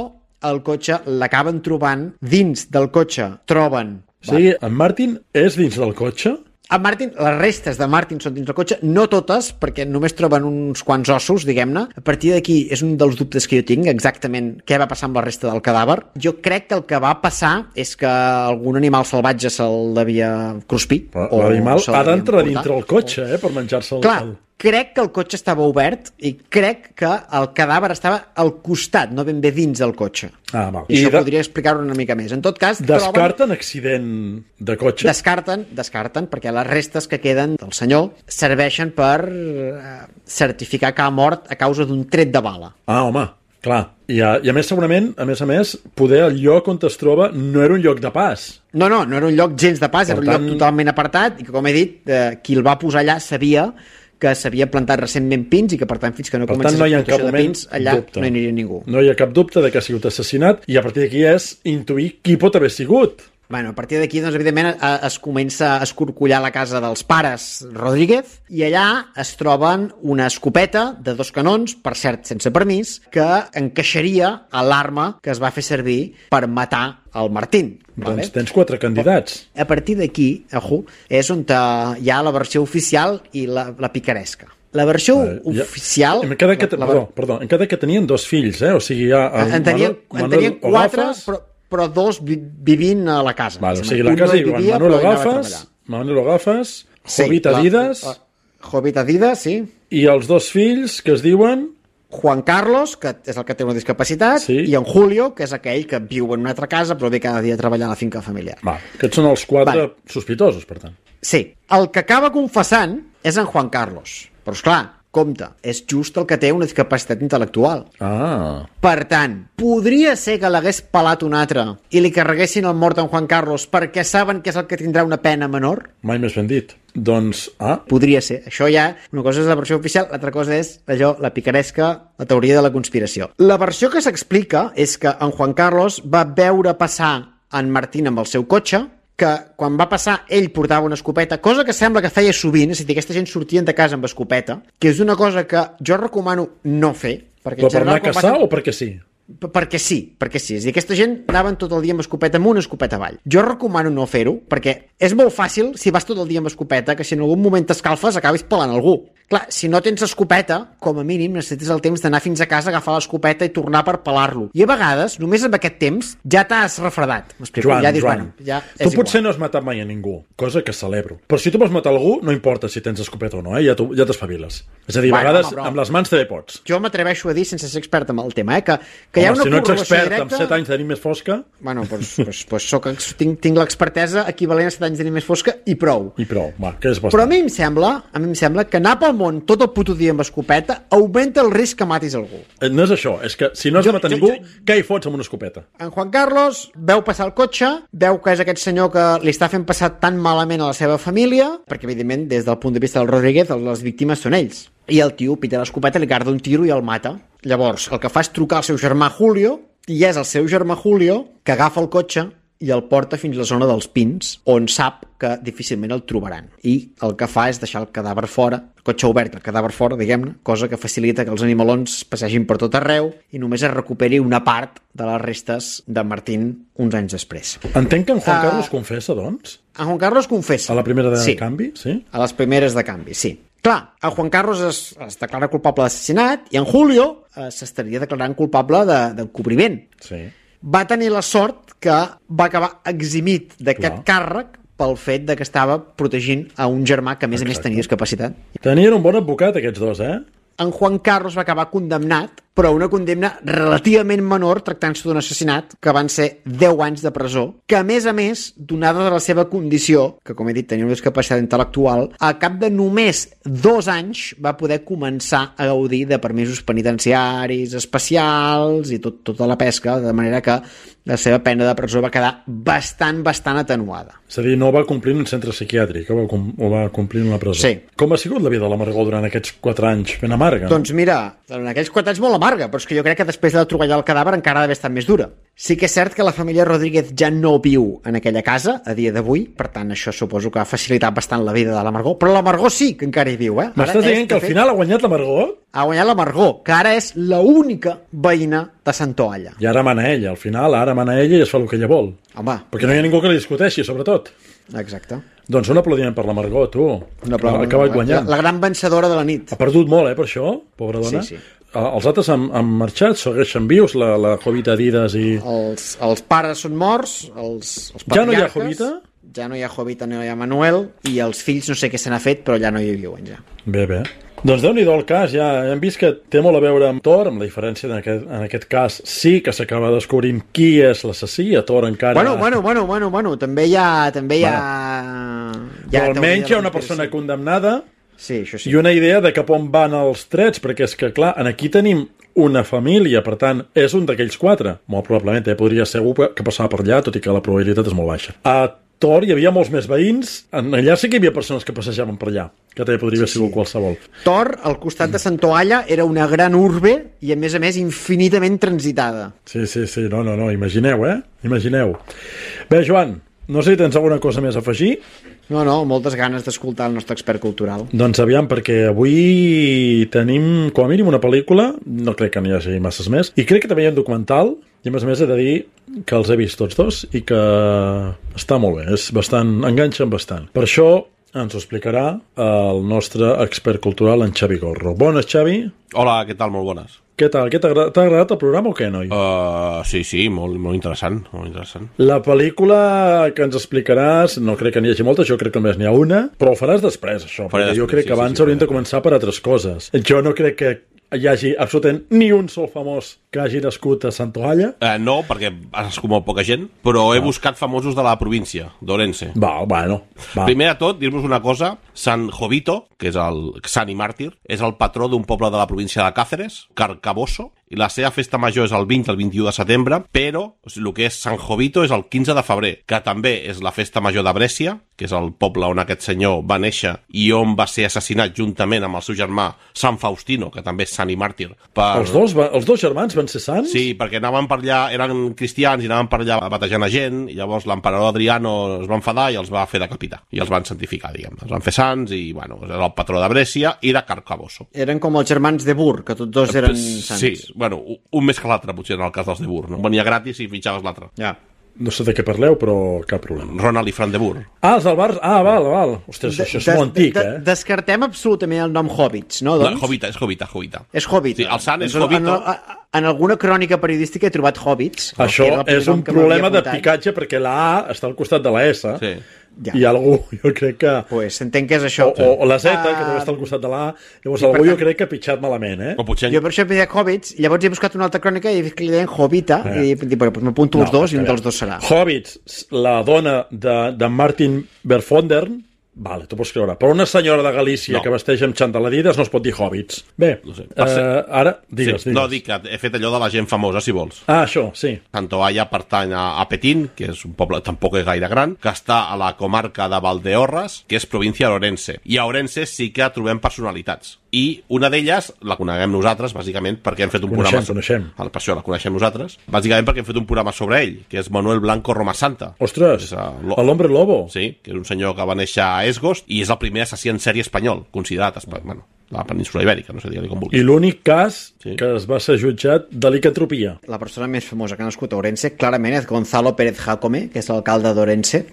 el cotxe l'acaben trobant dins del cotxe. Troben... Sí, en Martin és dins del cotxe? En Martin, les restes de Martin són dins del cotxe, no totes, perquè només troben uns quants ossos, diguem-ne. A partir d'aquí és un dels dubtes que jo tinc, exactament què va passar amb la resta del cadàver. Jo crec que el que va passar és que algun animal salvatge se'l devia cruspir. L'animal ha d'entrar dintre el cotxe, per menjar-se el... Clar, crec que el cotxe estava obert i crec que el cadàver estava al costat, no ben bé dins del cotxe. Ah, val. I això podria explicar-ho una mica més. En tot cas, descarten accident de cotxe? Descarten, perquè les restes que queden del senyor serveixen per certificar que ha mort a causa d'un tret de bala. Ah, home, clar. I a més, segurament, a més, poder el lloc on es troba no era un lloc de pas. No era un lloc gens de pas, era un lloc totalment apartat i que, com he dit, qui el va posar allà sabia que s'havia plantat recentment pins i que, per tant, fins que no comencés l'explotació de pins, allà no hi aniria ningú. No hi ha cap dubte de que ha sigut assassinat i a partir d'aquí és intuir qui pot haver sigut. Bueno, a partir d'aquí, doncs, evidentment, es comença a escorcollar la casa dels pares Rodríguez i allà es troben una escopeta de 2 canons, per cert, sense permís, que encaixaria a l'arma que es va fer servir per matar el Martín. Doncs tens 4 candidats. A partir d'aquí, és on hi ha la versió oficial i la picaresca. La versió oficial... Em queda que tenien 2 fills, O sigui, hi ha... En tenien 4, però 2 vivint a la casa. Vale, o sigui, la casa hi va Manolo Gafas, Jovita Adidas... Jovita Adidas, sí. I els 2 fills que es diuen... Juan Carlos, que és el que té una discapacitat, i en Julio, que és aquell que viu en una altra casa però ve cada dia a treballar a la finca familiar. Aquests són els 4 sospitosos, per tant. Sí. El que acaba confessant és en Juan Carlos. Però, esclar, compte, és just el que té una discapacitat intel·lectual. Per tant, podria ser que l'hagués pelat un altre i li carreguessin el mort en Juan Carlos perquè saben que és el que tindrà una pena menor? Mai més ben dit. Doncs, podria ser. Això ja, una cosa és la versió oficial, l'altra cosa és la picaresca, la teoria de la conspiració. La versió que s'explica és que en Juan Carlos va veure passar en Martín amb el seu cotxe, que quan va passar ell portava una escopeta, cosa que sembla que feia sovint, és a dir, aquesta gent sortien de casa amb escopeta, que és una cosa que jo recomano no fer. Però per anar a caçar o perquè sí? Perquè sí. És a dir, aquesta gent anaven tot el dia amb escopeta amunt, escopeta avall. Jo recomano no fer-ho, perquè és molt fàcil, si vas tot el dia amb escopeta, que si en algun moment t'escalfes acabis pelant algú. Clar, si no tens escopeta, com a mínim necessites el temps d'anar fins a casa, agafar l'escopeta i tornar per pelar-lo. I a vegades, només amb aquest temps, ja t'has refredat. Joan, tu potser no has matat mai a ningú, cosa que celebro. Però si tu vols matar algú, no importa si tens escopeta o no, ja t'espaviles. És a dir, a vegades amb les mans també pots. Jo m'atreveixo a dir, sense ser expert en el tema, que hi ha una si no ets expert amb 7 anys de nit més fosca... Bueno, doncs tinc l'expertesa equivalent a 7 anys de nit més fosca i prou. Que és bastant. Però a mi em sembla que anar pel món tot el puto dia amb escopeta augmenta el risc que matis algú. No és això, és que si no has de matar ningú, què hi fots amb una escopeta? En Juan Carlos veu passar el cotxe, veu que és aquest senyor que li està fent passar tan malament a la seva família, perquè evidentment des del punt de vista del Rodríguez les víctimes són ells. I el tio pita l'escopeta, li carda un tiro i el mata. Llavors, el que fa és trucar al seu germà Julio, i és el seu germà Julio que agafa el cotxe i el porta fins a la zona dels pins, on sap que difícilment el trobaran. I el que fa és deixar el cadàver fora, el cotxe obert, el cadàver fora, diguem-ne, cosa que facilita que els animalons passegin per tot arreu i només es recuperi una part de les restes de Martín uns anys després. Entenc que en Juan Carlos confessa, doncs? En Juan Carlos confessa. A la primera de canvi, sí? A les primeres de canvi, sí. Clar, en Juan Carlos es declara culpable d'assassinat i en Julio s'estaria declarant culpable d'encobriment. Sí. Va tenir la sort que va acabar eximit d'aquest càrrec pel fet de que estava protegint a un germà que a més tenia discapacitat. Tenien un bon advocat aquests dos, en Juan Carlos va acabar condemnat, però una condemna relativament menor, tractant-se d'un assassinat, que van ser 10 anys de presó, que a més, donada de la seva condició, que com he dit tenia una discapacitat intel·lectual, a cap de només 2 anys va poder començar a gaudir de permisos penitenciaris especials i tota la pesca, de manera que la seva pena de presó va quedar bastant atenuada. És a dir, no va complir en un centre psiquiàtric, o va complir en la presó. Sí. Com ha sigut la vida de la Margot durant aquests 4 anys ben amarga? Doncs mira, en aquells 4 anys molt amarga, però és que jo crec que després de trobar el cadàver encara ha d'haver estat més dura. Sí que és cert que la família Rodríguez ja no viu en aquella casa a dia d'avui, per tant això suposo que ha facilitat bastant la vida de la Margot, però la Margot sí que encara hi viu, eh? M'estàs dient que al final ha guanyat la Margot? Ha guanyat la Margot, que ara és l'única veïna de Santoalla. I ara mana ella, al final, ara mana ella i es fa el que ella vol. Home. Perquè no hi ha ningú que li discuteixi, sobretot. Exacte. Doncs un aplaudiment per la Margot, tu. Ha acabat guanyant. La gran vencedora de la nit. Ha perdut molt, per això, pobra dona. Sí. Els altres han marxat, segueixen vius, la Jovita Adidas i... Els pares són morts, els patriarques... Ja no hi ha Jovita? Ja no hi ha Jovita, no hi ha Manuel, i els fills no sé què se n'ha fet, però ja no hi viuen, ja. Bé. Doncs Déu-n'hi-do el cas, ja hem vist que té molt a veure amb Thor, amb la diferència en aquest cas sí que s'acaba descobrint qui és l'assassí, a Thor encara... Bueno, també hi ha... Però almenys hi ha una persona condemnada. Sí, això sí. I una idea de cap on van els trets, perquè és que, clar, aquí tenim una família, per tant, és un d'aquells 4. Molt probablement, podria ser algú que passava per allà, tot i que la probabilitat és molt baixa. A Thor hi havia molts més veïns, allà sí que hi havia persones que passejaven per allà, que també podria haver sigut qualsevol. Thor, al costat de Santoalla, era una gran urbe i, a més, infinitament transitada. Sí, no, imagineu, Imagineu. Bé, Joan, no sé si tens alguna cosa més a afegir. No, moltes ganes d'escoltar el nostre expert cultural. Doncs aviam, perquè avui tenim com a mínim una pel·lícula, no crec que n'hi hagi masses més, i crec que també hi ha un documental, i a més he de dir que els he vist tots dos i que està molt bé, enganxen bastant. Per això ens ho explicarà el nostre expert cultural, en Xavi Gorro. Bones, Xavi. Hola, què tal? Molt bones. Què tal? T'ha agradat el programa o què, noi? Sí, molt interessant, molt interessant. La pel·lícula que ens explicaràs, no crec que n'hi hagi moltes, jo crec que només n'hi ha una, però ho faràs després, això, perquè jo crec que abans hauríem de començar per altres coses. Jo no crec que hi hagi absolutament ni un sol famós que hagi nascut a Santoalla. No, perquè ha nascut molt poca gent, però he buscat famosos de la província, d'Orense. Va. Primer de tot, dir-vos una cosa, San Jovito, que és el sant i màrtir, és el patró d'un poble de la província de Cáceres, Carcaboso, i la seva festa major és el 20 al 21 de setembre, però el que és Sant Jovito és el 15 de febrer, que també és la festa major de Brescia, que és el poble on aquest senyor va néixer i on va ser assassinat juntament amb el seu germà Sant Faustino, que també és sant i màrtir. Els dos germans van ser sants? Sí, perquè anaven per allà, eren cristians i anaven per allà batejant a gent, i llavors l'emperador Adriano es va enfadar i els va fer decapitar, i els van santificar, diguem. Els van fer sants i, era el patró de Brescia i de Carcaboso. Eren com els germans de Bur, que tots dos eren sants. Sí, un més que l'altre, potser, en el cas dels de Bur, no? Venia gratis i fitxaves l'altre. Ja. No sé de què parleu, però cap problema. Ronald i Fran de Bur. Els del bar... val. Ostres, això és molt antic, Descartem absolutament el nom Hobbits, no? Doncs? No, és Jovita. És Jovita. Sí, el sant és Jovito. En alguna crònica periodística he trobat Hobbits. Això és un problema de picatge, perquè la A està al costat de la S. Sí. Ja. I algú, jo crec que... Pues entenc que és això. O la Z, que també està al costat de la A. Llavors algú jo crec que ha pitjat malament, O potser... Jo per això he dit Hobbits, llavors he buscat una altra crònica i he vist que li deien Jovita, i he dit, pues m'apunto els dos i un dels dos serà. Hobbits, la dona de Martin Verfondern, vale, t'ho pots creure. Però una senyora de Galícia que vesteix amb xantaladides no es pot dir Hobbits. Bé, no sé. ara, digues. No, dic que he fet allò de la gent famosa, si vols. Això, sí. Santoalla pertany a Petín, que és un poble tampoc és gaire gran, que està a la comarca de Valdeorras, que és província d'Orense. I a Orense sí que trobem personalitats. I una d'elles la coneguem nosaltres, bàsicament, perquè hem fet un programa... Coneixem. Per això la coneixem nosaltres. Bàsicament perquè hem fet un programa sobre ell, que és Manuel Blanco Romasanta. Ostres, l'Hombre Lobo. Sí, que és un senyor que va néixer a Esgost i és el primer assassí en sèrie espanyol, considerat, la península ibèrica, no sé, digue-li com vulguis. I l'únic cas que es va ser jutjat de licantropia. La persona més famosa que ha nascut a Orense, clarament, és Gonzalo Pérez Jacome, que és l'alcalde d'Orense,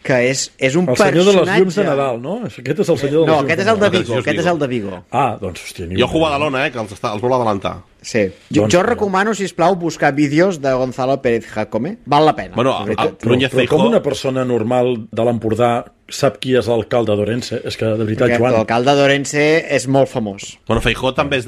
que és un personatge... El senyor de les llums de Nadal, no? Aquest és el senyor de les llums de Nadal. No, aquest és el de Vigo, aquest és el de Vigo. Doncs, hòstia... Jo jugo a Badalona, que els vol adelantar. Sí. Jo recomano, sisplau, buscar vídeos de Gonzalo Pérez Jacome. Val la pena. Bueno, però com una persona normal de l'Empordà sap qui és l'alcalde d'Orense? És que, de veritat, Joan... L'alcalde d'Orense és molt famós. Bueno, Feijóo també és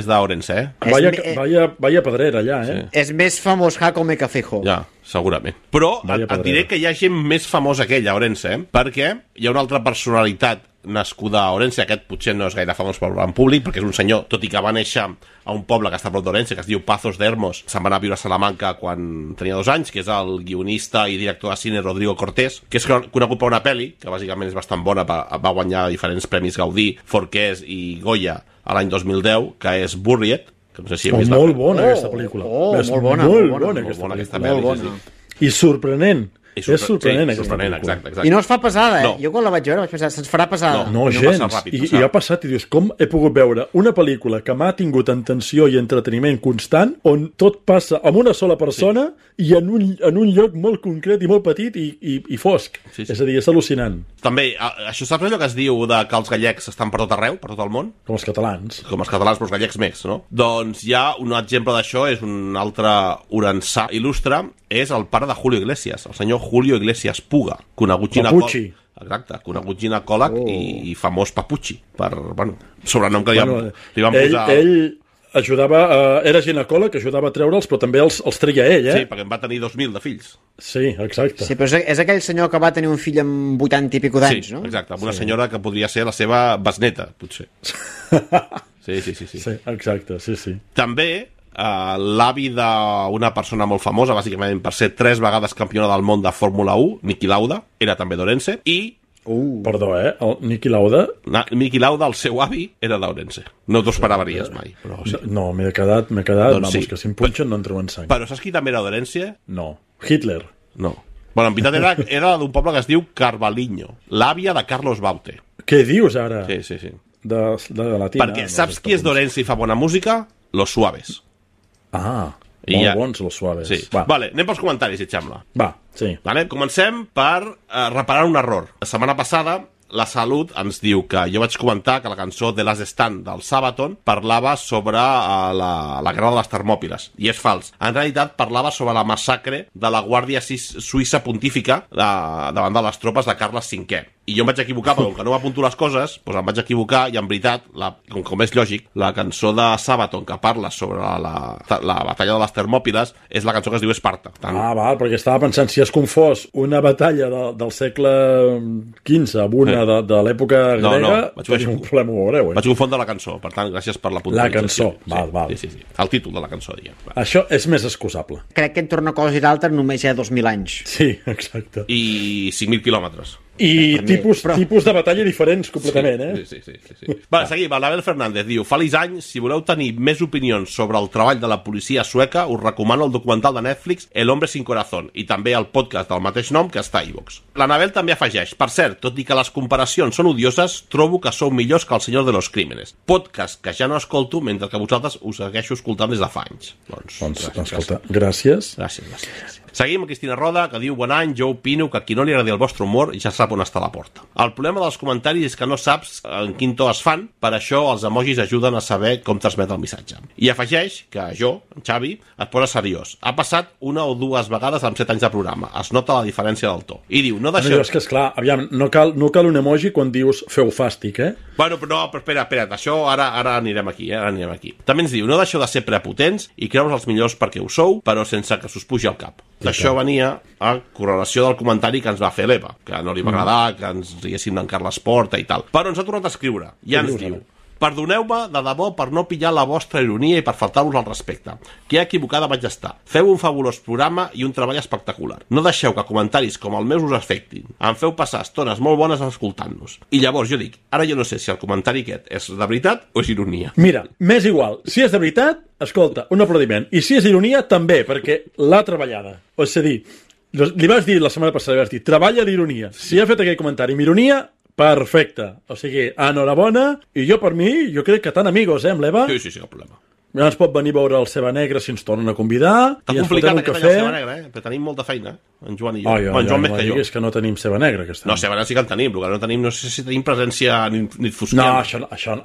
d'Orense, Vaya pedrera allà, eh? Sí. És més famós Jacome que Feijóo. Ja, segurament. Però et diré que hi ha gent més famosa que ell a Orense, perquè hi ha una altra personalitat nascuda a Orense, aquest potser no és gaire famós per en públic, perquè és un senyor, tot i que va néixer a un poble que està a prop d'Orense, que es diu Pazos de Hermos, se'n va anar a viure a Salamanca quan tenia 2 anys, que és el guionista i director de cine Rodrigo Cortés, que és conegut per una pel·li, que bàsicament és bastant bona, va guanyar diferents premis Gaudí, Forqués i Goya a l'any 2010, que és Buried, que no sé si heu vist molt bona aquesta pel·lícula. Molt bona aquesta pel·lícula. I sorprenent. És sorprenent, exacte. I no es fa pesada, eh? No. Jo quan la vaig veure vaig pensar, se'ns farà pesada. No gens. I ha passat i dius, com he pogut veure una pel·lícula que m'ha tingut en tensió i entreteniment constant, on tot passa amb una sola persona i en un lloc molt concret i molt petit i fosc. Sí. És a dir, és al·lucinant. També, això saps allò que es diu de que els gallecs estan per tot arreu, per tot el món? Com els catalans. Com els catalans, però els gallecs més, no? Doncs hi ha un exemple d'això, és un altre orençà il·lustre, és el pare de Julio Iglesias, el senyor Julio Iglesias Puga, conegut ginecòleg. Exacte, conegut ginecòleg i famós Papucci, per, sobrenom que li van posar... Ell ajudava, era ginecòleg, ajudava a treure'ls, però també els treia ell, eh? Sí, perquè en va tenir 2.000 de fills. Sí, exacte. Sí, però és aquell senyor que va tenir un fill amb 80 i pico d'anys, no? Sí, exacte, amb una senyora que podria ser la seva besneta, potser. Sí. Sí, exacte, sí. També... l'avi d'una persona molt famosa, bàsicament per ser 3 vegades campiona del món de Fórmula 1, Niki Lauda, era també d'Orense, i... Perdó, el Niki Lauda? Niki Lauda, el seu avi, era d'Orense. No t'ho esperaries mai. Però sí. No, m'he quedat, doncs vamos, que si em punxen no en treuen sang. Però saps qui també era d'Orense? No. Hitler? No. Bueno, en veritat era d'un poble que es diu Carvalhinho, l'àvia de Carlos Baute. Què dius ara? Sí. De Latina. Perquè saps qui és d'Orense i fa bona música? Los Suaves. Molt bons los Suaves. Sí. Vale, anem pels comentaris, si et sembla. Va, sí. Vale, comencem per reparar un error. La setmana passada la Salut ens diu que jo vaig comentar que la cançó The Last Stand del Sabaton parlava sobre la guerra de les Termòpiles, i és fals. En realitat parlava sobre la massacre de la Guàrdia Suïssa Pontífica davant de les tropes de Carles V. I jo em vaig equivocar, perquè com que no m'apunto les coses, doncs em vaig equivocar, i en veritat, com és lògic, la cançó de Sabaton que parla sobre la batalla de les Termòpiles és la cançó que es diu Esparta. Val, perquè estava pensant, si es confós una batalla del segle XV amb una de l'època grega, tenim un problema, ho veureu. Vaig confondre la cançó, per tant, gràcies per la puntualització. La cançó, val. Sí. El títol de la cançó, diguem. Això és més excusable. Crec que entre una cosa i l'altra només hi ha 2.000 anys. Sí, exacte. I 5.000 quilòmetres. I tipus de batalla diferents completament, eh? Sí. Va, seguim. L'Abel Fernández diu: feliç any, si voleu tenir més opinions sobre el treball de la policia sueca, us recomano el documental de Netflix El hombre sin corazón, i també el podcast del mateix nom que està a iVox. L'Anabel també afegeix: per cert, tot i que les comparacions són odioses, trobo que sou millors que El Senyor de los Crímenes, podcast que ja no escolto mentre que vosaltres us segueixo escoltant des de fa anys. Doncs escolta, gràcies. Seguim amb Cristina Roda, que diu: bon any, jo opino que a qui no li agradi el vostre humor ja sap on està la porta. El problema dels comentaris és que no saps en quin to es fan, per això els emojis ajuden a saber com transmet el missatge. I afegeix que jo, en Xavi, et posa seriós. Ha passat 1 o 2 vegades amb 7 anys de programa. Es nota la diferència del to. I diu: no deixeu... És que, esclar, aviam, no cal un emoji quan dius feu fàstic, eh? Bueno, però espera't, això ara anirem aquí, També ens diu: no deixeu de ser prepotents i creure's els millors perquè ho sou, però sense que s'us pugi al cap. Això venia a correlació del comentari que ens va fer l'Eva, que no li va agradar que ens diguéssim d'en Carles Porta i tal. Però ens ha tornat a escriure i ens diu: perdoneu-me de debò per no pillar la vostra ironia i per faltar-vos al respecte. Que equivocada vaig estar. Feu un fabulós programa i un treball espectacular. No deixeu que comentaris com el meu us afectin. Em feu passar estones molt bones escoltant-nos. I llavors jo dic, ara jo no sé si el comentari aquest és de veritat o és ironia. Mira, m'és igual. Si és de veritat, escolta, un aplaudiment. I si és ironia, també, perquè l'ha treballada. O és a dir, li vas dir la setmana passada, li vas dir, treballa l'ironia. Si ha fet aquell comentari amb ironia, perfecte. O sigui, enhorabona, i jo per mi, jo crec que tan amigos, amb l'Eva? Sí, cap problema. Ja ens pot venir a veure el Ceba Negra si ens tornen a convitar. Està complicat aquest any el Ceba Negra, però tenim molta feina. en Joan i jo. En Joan més que jo. És que no tenim ceba negra aquest any. No, ceba negra sí que en tenim, el que no tenim, no sé si tenim presència nit fosquera.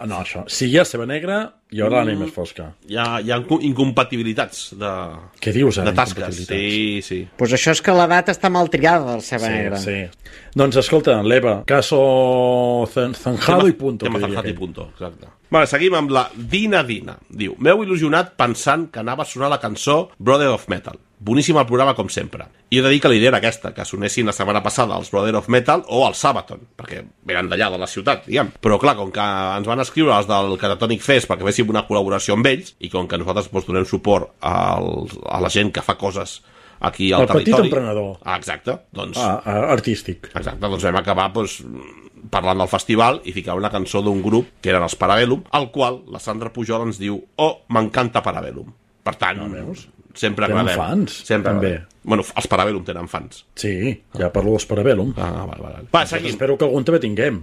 No, això. Si hi ha ceba negra, hi haurà la nit més fosca. Hi ha incompatibilitats de... Què dius, de tasques. Sí. Pues això és que l'edat està mal triada del ceba negra. Sí. Doncs escolta, l'Eva, caso zanjado i punto. Tema zanjado i punto, exacte. Vale, seguim amb la Dina. Diu, m'heu il·lusionat pensant que anava a sonar la cançó Brother of Metal. Boníssim el programa, com sempre. I he de dir que la idea era aquesta, que sonessin la setmana passada els Brother of Metal o el Sabaton, perquè venen d'allà, de la ciutat, diguem. Però clar, com que ens van escriure els del Catatonic Fest perquè féssim una col·laboració amb ells, i com que nosaltres donem suport a la gent que fa coses aquí al territori... El petit emprenedor. Exacte. Doncs, artístic. Exacte, doncs vam acabar parlant del festival i ficar una cançó d'un grup que eren els Parabellum, al qual la Sandra Pujol ens diu m'encanta Parabellum. Per tant, sempre agradem. Tenen fans, també. Bueno, els Parabellum tenen fans. Sí, ja parlo dels Parabellum. Vale. Va, seguim. Espero que algun també tinguem.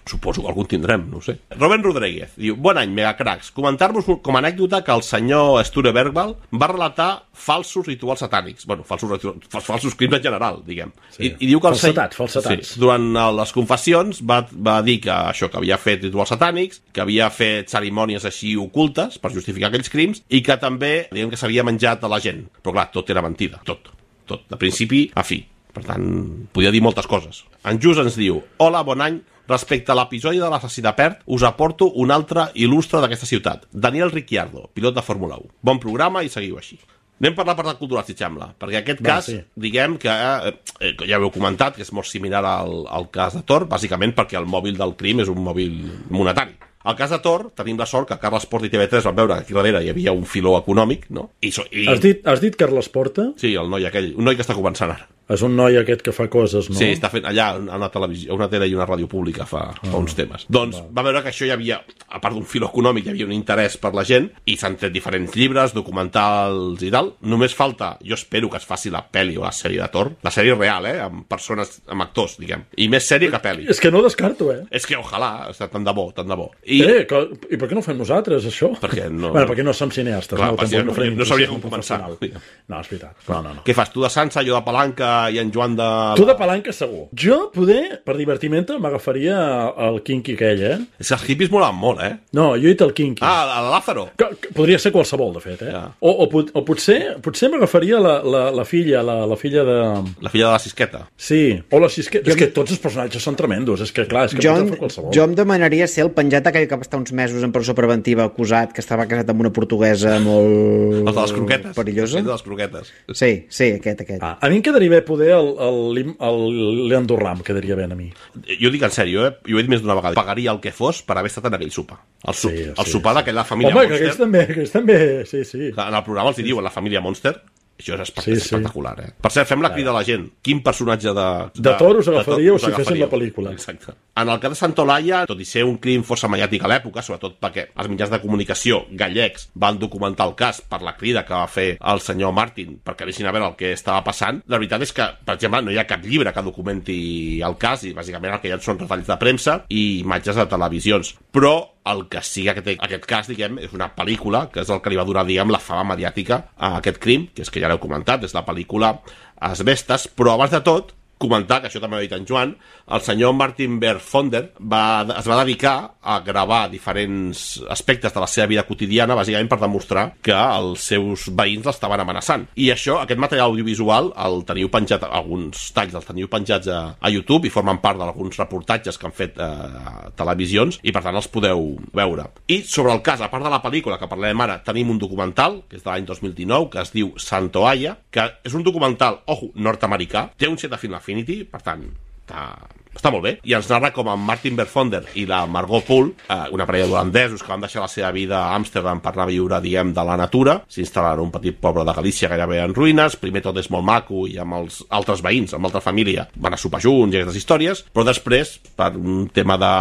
Suposo que algun tindrem, no ho sé. Robert Rodríguez diu, bon any, megacracs. Comentar-vos com a anècdota que el senyor Sture Bergwall va relatar falsos rituals satànics. Bueno, falsos crims en general, diguem. Sí. I diu que falsetats. Sí, durant les confessions va dir que això, que havia fet rituals satànics, que havia fet cerimònies així ocultes per justificar aquells crims i que també, diguem que s'havia menjat a la gent. Però clar, tot era mentida. Tot. De principi a fi. Per tant, podia dir moltes coses. En Jus ens diu, hola, bon any. Respecte a l'episodi de l'assassí de Perth, us aporto un altre il·lustre d'aquesta ciutat, Daniel Ricciardo, pilot de Fórmula 1. Bon programa i seguiu així. Anem per la part cultural, si sembla, perquè aquest cas, diguem que, ja ho heu comentat, que és molt similar al cas de Tor, bàsicament perquè el mòbil del crim és un mòbil monetari. Al cas de Tor, tenim la sort que Carles Porta i TV3 van veure que aquí darrere hi havia un filó econòmic, no? Has dit Carles Porta? Sí, el noi aquell, un noi que està començant ara. És un noi aquest que fa coses, no? Sí, està fent allà una televisió, una tele i una ràdio pública fa uns temes. Doncs va veure que això hi havia, a part d'un fil econòmic, hi havia un interès per la gent i s'han tret diferents llibres, documentals i tal. Només falta, jo espero que es faci la pel·li o la sèrie de Tor, la sèrie real, amb persones, amb actors, diguem. I més sèrie que pel·li. És que no descarto, És que ojalà, tant de bo. I per què no ho fem nosaltres, això? Perquè no... Bueno, perquè no som cineastes. Clar, no sabria com començar. No, és veritat. No. Què fas, tu de Sansa, jo de Palanca i en Joan de... Tu de palanca segur. Jo, poder, per divertiment, m'agafaria el Kinky aquell, És que els hippies molaven molt, No, jo he dit el Kinky. El Lázaro. Podria ser qualsevol, de fet, Ja. O potser m'agafaria la filla, la filla de... La filla de la Sisqueta. Sí, o la Sisqueta. És que tots els personatges són tremendos, és que clar, és que pot fer qualsevol. Jo em demanaria ser el penjat aquell que va estar uns mesos en presó preventiva acusat, que estava casat amb una portuguesa molt... Els de les croquetes. Perillosa. Els de les croquetes. Sí, aquest. A mi em quedaria bé poder el Leandro Ram, quedaria bé a mi. Jo dic en sèrio, jo ho he dit més d'una vegada. Pagaria el que fos per haver estat en aquell sopar. El sopar d'aquella família Monster. Home, que aquells també, sí. En el programa els diuen la família Monster. Això és espectacular, Per cert, fem la crida a la gent. Quin personatge de Tor us agafaríeu si fessin la pel·lícula? Exacte. En el cas de Santolaya, tot i ser un crim força mediàtic a l'època, sobretot perquè els mitjans de comunicació gallecs van documentar el cas per la crida que va fer el senyor Martin perquè deixin a veure el que estava passant, la veritat és que, per exemple, no hi ha cap llibre que documenti el cas i bàsicament el que hi ha són retalls de premsa i imatges de televisions. Però el que sí que té aquest cas, diguem, és una pel·lícula, que és el que li va donar, diguem, la fama mediàtica a aquest crim, que és que ja l'heu comentat, és la pel·lícula Asbestes, però abans de tot, comentar, que això també ho ha dit en Joan, el senyor Martin Berfonder es va dedicar a gravar diferents aspectes de la seva vida quotidiana, bàsicament per demostrar que els seus veïns l'estaven amenaçant. I això, aquest material audiovisual, el teniu penjat, alguns talls els teniu penjats a YouTube i formen part d'alguns reportatges que han fet televisions i per tant els podeu veure. I sobre el cas, a part de la pel·lícula que parlem ara, tenim un documental, que és de l'any 2019, que es diu Santoaya, que és un documental, nord-americà, té un 7 de Film Affinity, per tant, està molt bé, i ens narra com en Martin Berfonder i la Margot Poole, una parella d'holandesos que van deixar la seva vida a Amsterdam per anar a viure, diguem, de la natura, s'instal·len en un petit poble de Galícia gairebé en ruïnes, primer tot és molt maco i amb els altres veïns, amb l'altra família, van a sopar junts i aquestes històries, però després, per un tema de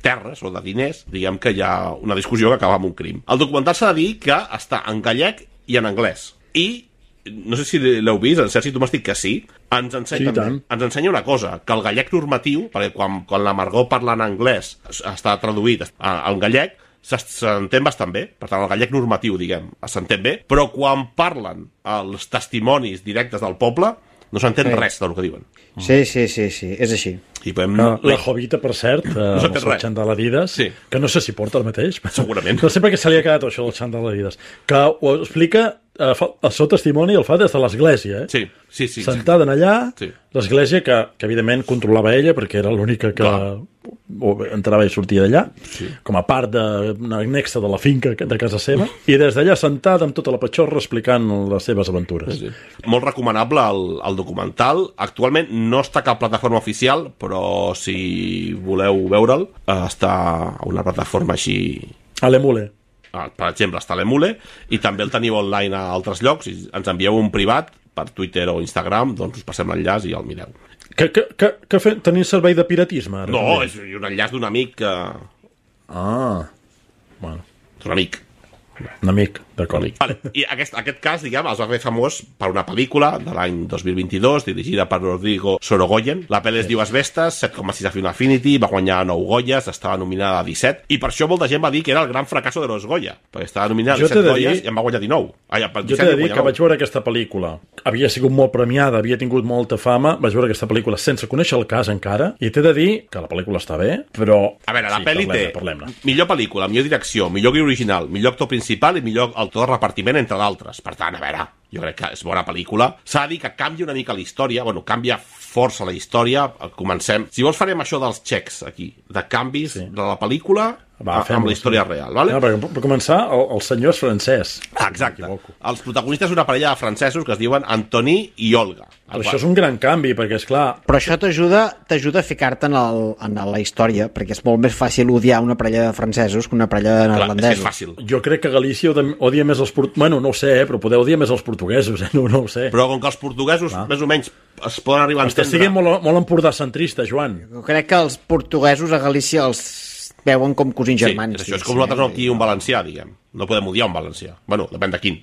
terres o de diners, diguem que hi ha una discussió que acaba amb un crim. El documental s'ha de dir que està en gallec i en anglès, i no sé si l'heu vist, en Sergi, tu m'has dit que sí, ens ensenya una cosa, que el gallec normatiu, perquè quan la Margot parla en anglès està traduït en gallec, s'entén bastant bé, per tant el gallec normatiu, diguem, s'entén bé, però quan parlen els testimonis directes del poble, No s'entén res del que diuen. Sí, és així. I podem... La Jovita, per cert, amb el seu xandall Adidas, que no sé si porta el mateix. Segurament. No sé per què se li ha quedat això del xandall Adidas. Que ho explica, el seu testimoni el fa des de l'església, Sí. Sentada allà, l'església que evidentment controlava ella, perquè era l'única que entrava i sortia d'allà, com a part d'una anexa de la finca de casa seva, i des d'allà sentada amb tota la patxorra explicant les seves aventures. Molt recomanable el documental. Actualment no està a cap plataforma oficial, però si voleu veure'l, està a una plataforma així... A l'Emule. Per exemple, està a l'Emule, i també el teniu online a altres llocs, i ens envieu un privat per Twitter o Instagram, doncs us passem l'enllaç i el mireu. Que teniu servei de piratisme? Ara, no, és un enllaç d'un amic que... Bueno. D'un amic. Un amic, d'acord. Vale. I aquest cas, diguem, es va fer famós per una pel·lícula de l'any 2022 dirigida per Rodrigo Sorogoyen. La pel·li es diu Asbestes, 7,6 a Film Affinity, va guanyar 9 Goyes, estava nominada a 17, i per això molta gent va dir que era el gran fracasso de los Goya, perquè estava nominada a 17 Goyes i en va guanyar 19. Jo t'he de dir que vaig veure aquesta pel·lícula, havia sigut molt premiada, havia tingut molta fama, vaig veure aquesta pel·lícula sense conèixer el cas encara, i t'he de dir que la pel·lícula està bé, però... A veure, la pel·li té millor pel·lícula, millor direcció, millor guió original, millor actor principal i millor autor de repartiment, entre d'altres. Per tant, a veure, jo crec que és bona pel·lícula. S'ha de dir que canvia una mica la història, canvia força la història. Comencem. Si vols farem això dels xecs aquí, de canvis de la pel·lícula amb la història real, vale? Per començar, el senyor és francès. Exacte. Els protagonistes són una parella de francesos que es diuen Antoni i Olga. Però això és un gran canvi, perquè, esclar... Però això t'ajuda a ficar-te en la història, perquè és molt més fàcil odiar una parella de francesos que una parella de neerlandesos. És fàcil. Jo crec que Galícia odia més els portuguesos. Bueno, no ho sé, però podeu odiar més els portuguesos, no ho sé. Però com que els portuguesos, més o menys, es poden arribar a entendre... Estàs siguent molt empordà-centrista, Joan. Jo crec que els portuguesos a Galícia els veuen com cosins germans. Sí, això és com nosaltres aquí un valencià, diguem. No podem odiar un valencià. Bueno, depèn de quin.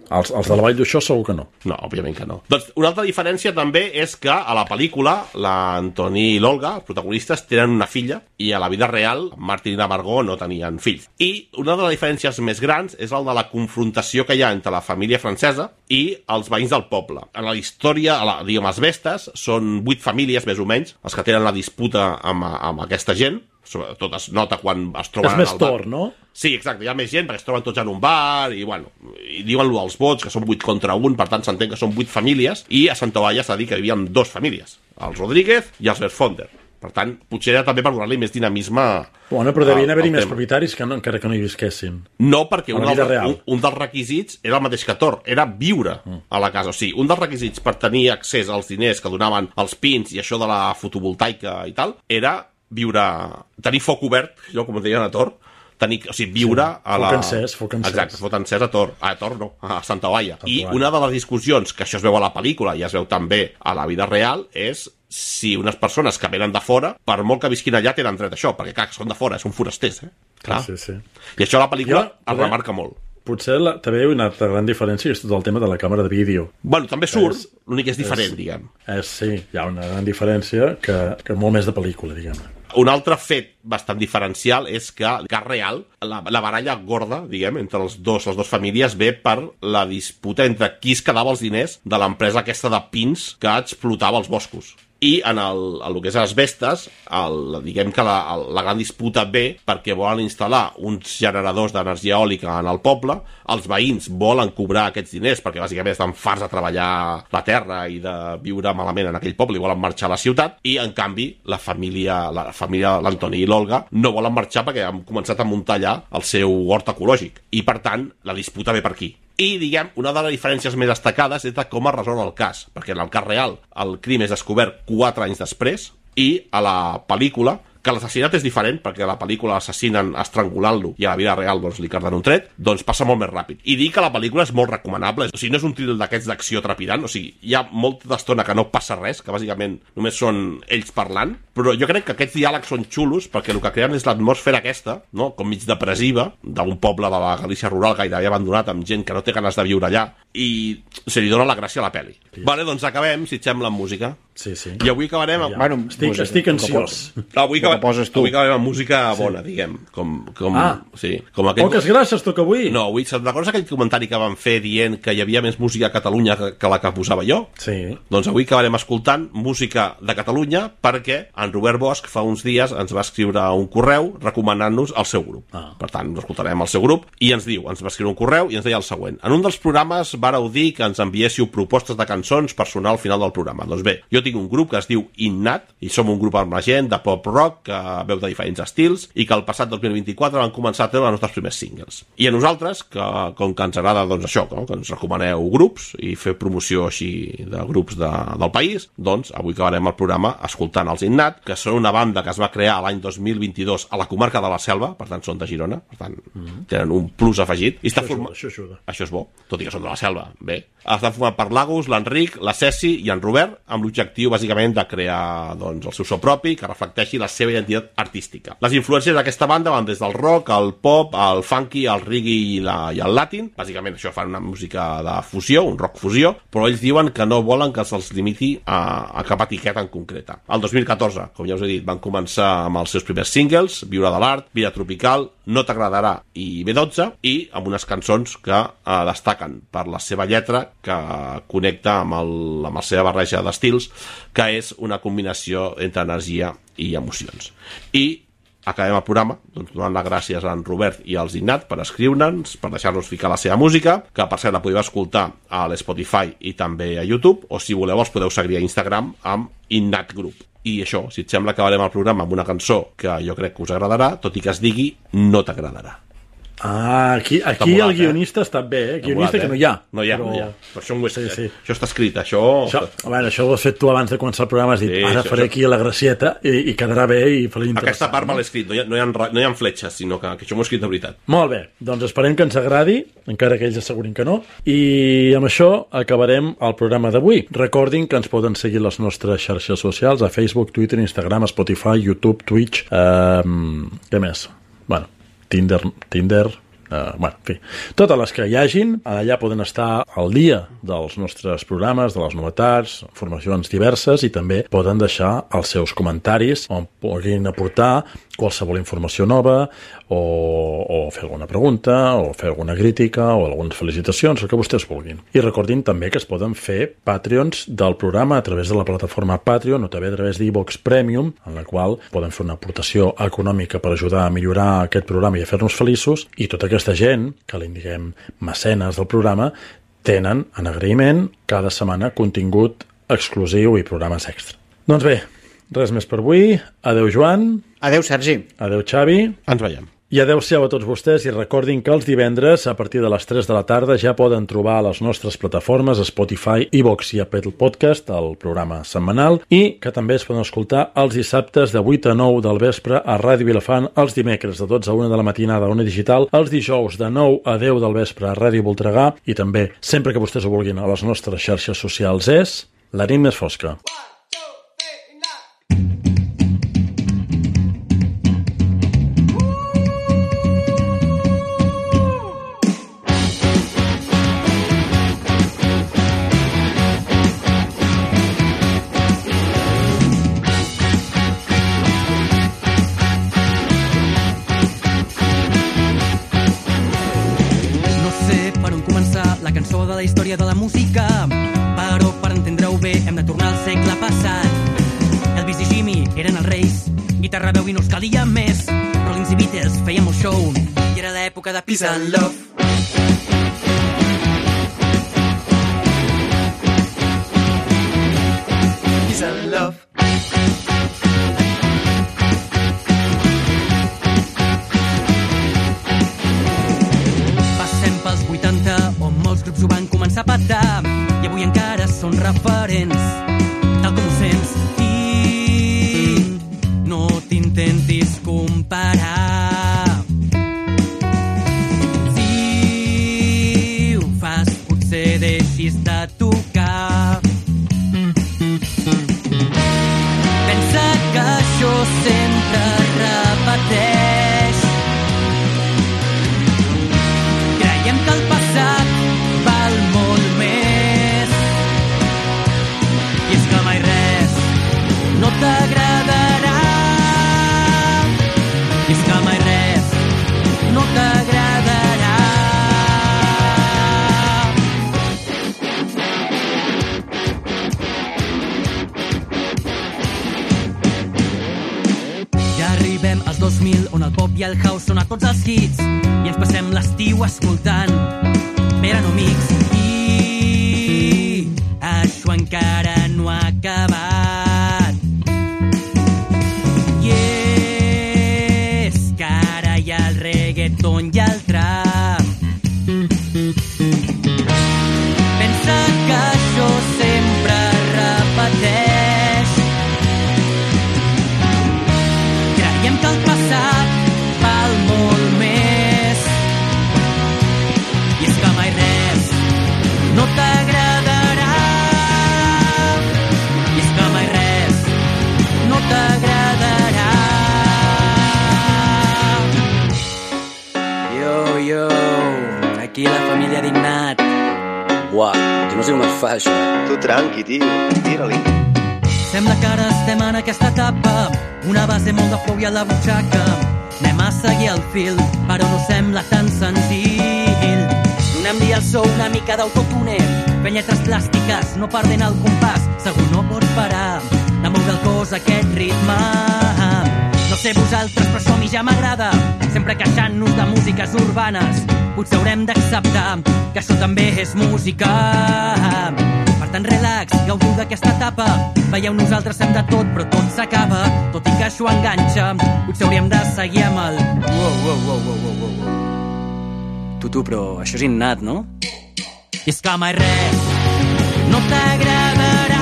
Els de la Vall d'Uixó segur que no. No, òbviament que no. Doncs una altra diferència també és que a la pel·lícula l'Antoni i l'Olga, els protagonistes, tenen una filla i a la vida real Martin i la Margot no tenien fills. I una de les diferències més grans és el de la confrontació que hi ha entre la família francesa i els veïns del poble. En la història, diguem, Asbestes, són 8 famílies, més o menys, els que tenen la disputa amb aquesta gent. Sobretot es nota quan es troben és més tor, no? Sí, exacte, hi ha més gent perquè es troben tots en un bar i, i diuen els vots, que són 8 contra 1, per tant s'entén que són 8 famílies, i a Santa Eulàlia s'ha dit que hi havia 2 famílies, els Rodríguez i els Berfonder. Per tant, potser era també per donar-li més dinamisme. Bueno, però devien haver-hi més propietaris que encara que no hi visquessin. No, perquè un dels requisits era el mateix que Tor, era viure a la casa. O sigui, un dels requisits per tenir accés als diners que donaven els pins i això de la fotovoltaica i tal, era tenir foc obert, jo com deien a Tor, viure a la... Foc encès. Exacte, foc encès a Tor. A Tor no, a Santa Eulàlia. I una de les discussions, que això es veu a la pel·lícula i es veu també a la vida real, és si unes persones que venen de fora, per molt que visquin allà, tenen dret a això, perquè clar, són de fora, són forasters, Clar. Sí. I això a la pel·lícula es remarca molt. Potser també una altra gran diferència és tot el tema de la càmera de vídeo. Bueno, també surt, l'únic és diferent, diguem. Sí, hi ha una gran diferència que molt més de pel·lícula, diguem. Un altre fet bastant diferencial és que el cas real, la baralla gorda, diguem, entre les dues famílies ve per la disputa entre qui es quedava els diners de l'empresa aquesta de pins que explotava els boscos. I en el que és Asbestes, diguem que la gran disputa ve perquè volen instal·lar uns generadors d'energia eòlica en el poble, els veïns volen cobrar aquests diners perquè bàsicament estan farts de treballar la terra i de viure malament en aquell poble i volen marxar a la ciutat, i en canvi la família l'Antoni i l'Olga no volen marxar perquè han començat a muntar allà el seu hort ecològic, i per tant la disputa ve per aquí. I, diguem, una de les diferències més destacades és de com es resol el cas, perquè en el cas real el crim és descobert 4 anys després, i a la pel·lícula, que l'assassinat és diferent, perquè a la pel·lícula l'assassinen estrangulant-lo i a la vida real li carden un tret, doncs passa molt més ràpid. I dir que la pel·lícula és molt recomanable, o sigui, no és un thriller d'aquests d'acció trepidant, o sigui, hi ha molta estona que no passa res, que bàsicament només són ells parlant, però jo crec que aquests diàlegs són xulos perquè el que creen és l'atmosfera aquesta, no?, com mig depressiva, d'un poble de la Galícia rural gairebé abandonat, amb gent que no té ganes de viure allà, i se li dona la gràcia a la pel·li. Vale, doncs acabem, si et sembla, amb música. Sí. I avui acabarem amb... Bueno, estic ansiós. Avui acabarem amb música bona, diguem. Com aquell... Poques gràcies toca avui. No, avui recordes aquell comentari que vam fer dient que hi havia més música a Catalunya que la que posava jo? Sí. Doncs avui acabarem escoltant música de Catalunya perquè en Robert Bosch fa uns dies ens va escriure un correu recomanant-nos el seu grup. Per tant, ens escoltarem el seu grup i ens va escriure un correu i ens deia el següent. En un dels programes vàreu dir que ens enviéssiu propostes de cançons per sonar al final del programa. Doncs bé, jo tinc un grup que es diu Innat i som un grup emergent de pop-rock que veu de diferents estils i que el passat 2024 van començar a treure els nostres primers singles. I a nosaltres, com que ens agrada doncs això, que ens recomaneu grups i fer promoció així de grups del país, doncs avui acabarem el programa escoltant els Innat, que són una banda que es va crear l'any 2022 a la comarca de la Selva, per tant són de Girona, per tant tenen un plus afegit. I Això ajuda. Això és bo, tot i que són de la Selva. Bé, estan format per l'Agus, l'Enric, la Ceci i en Robert, amb l'objectiu bàsicament de crear doncs, el seu so propi que reflecteixi la seva identitat artística. Les influències d'aquesta banda van des del rock, al pop, al funky, al reggae i al latin. Bàsicament això fan una música de fusió, un rock fusió, però ells diuen que no volen que se'ls limiti a cap etiqueta en concreta. El 2014, com ja us he dit, van començar amb els seus primers singles, Viure de l'art, Vida tropical, No t'agradarà i B12, i amb unes cançons que destaquen per la seva lletra, que connecta amb la seva barreja d'estils, que és una combinació entre energia i emocions. I acabem el programa doncs, donant les gràcies a en Robert i als Innat per escriure'ns, per deixar-nos ficar la seva música, que per cert la podeu escoltar a l'Spotify i també a YouTube, o si voleu els podeu seguir a Instagram amb Innat Group. I això, si et sembla, acabarem el programa amb una cançó que jo crec que us agradarà, tot i que es digui No t'agradarà. Aquí el guionista està bé, guionista que no hi ha. No hi ha. Per això això està escrit, això ho has fet tu abans de començar el programa, has dit, ara faré aquí la gracieta i quedarà bé i faré interessant. Aquesta part me l'he escrit, no hi ha fletxes, sinó que això m'ho he escrit de veritat. Molt bé, doncs esperem que ens agradi, encara que ells assegurin que no, i amb això acabarem el programa d'avui. Recordin que ens poden seguir les nostres xarxes socials a Facebook, Twitter, Instagram, Spotify, YouTube, Twitch, què més? Bueno, Tinder, en fi, totes les que hi hagin, allà poden estar al dia dels nostres programes, de les novetats, informacions diverses, i també poden deixar els seus comentaris on puguin aportar qualsevol informació nova o fer alguna pregunta o fer alguna crítica o algunes felicitacions, el que vostès vulguin. I recordin també que es poden fer Patreons del programa a través de la plataforma Patreon o també a través d'Evox Premium, en la qual poden fer una aportació econòmica per ajudar a millorar aquest programa i a fer-nos feliços, i tota aquesta gent que li diguem mecenes del programa tenen en agraïment cada setmana contingut exclusiu i programes extra. Doncs bé, res més per avui. Adeu, Joan. Adeu, Sergi. Adeu, Xavi. Ens veiem. I adeu-siau a tots vostès, i recordin que els divendres a partir de les 3 de la tarda ja poden trobar a les nostres plataformes Spotify, Evox i Apple Podcast el programa setmanal, i que també es poden escoltar els dissabtes de 8 a 9 del vespre a Ràdio Vilafant, els dimecres de 12 a 1 de la matinada a Ona Digital, els dijous de 9 a 10 del vespre a Ràdio Voltregà, i també, sempre que vostès ho vulguin, a les nostres xarxes socials és La nit més fosca. De la història de la música, però per entendre-ho bé hem de tornar al segle passat. Elvis i Jimmy eren els reis, guitarra, veu i no els calia més. Rollins i Beatles feien molt show i era l'època de Peace and Love. Peace and Love. Passem pels 80 on molts grups ho van començar a patar i avui encara són referents, tal com ho sents, i no t'intentis comparar. Si ho fas potser deixis de tocar. Pensa que això sempre repeteix. Creiem que el passat val molt més, i és que 2000, on el pop i el house són a tots els hits i ens passem l'estiu escoltant Verano Mix. I això encara no ha acabat. I és que ara hi ha el reggaeton i el trap. Pensa que això sempre repeteix. Creiem que el passat val molt més. I és que mai res no t'agradarà. I és que mai res no t'agradarà. Yo, aquí la família Dignat. Uah, jo no sé com es fa això. Tu tranqui, tio, tira-li. Sembla que ara estem en aquesta etapa, una base molt de flow i a la butxaca. Anem a seguir el fil, però no sembla tan senzill. Donem-li al so una mica d'autotune, fent lletres plàstiques, no perdent el compàs. Segur no pots parar de moure el cos a aquest ritme. No sé vosaltres, però això a mi ja m'agrada, sempre queixant-nos de músiques urbanes. Potser haurem d'acceptar que això també és música. Per tant, relax, gaudiu d'aquesta etapa. Veieu, nosaltres fem de tot, però tot s'acaba. Tot i que això enganxa, potser hauríem de seguir amb el... Wow. Tu, però això és innat, no? I és que mai res no t'agradarà.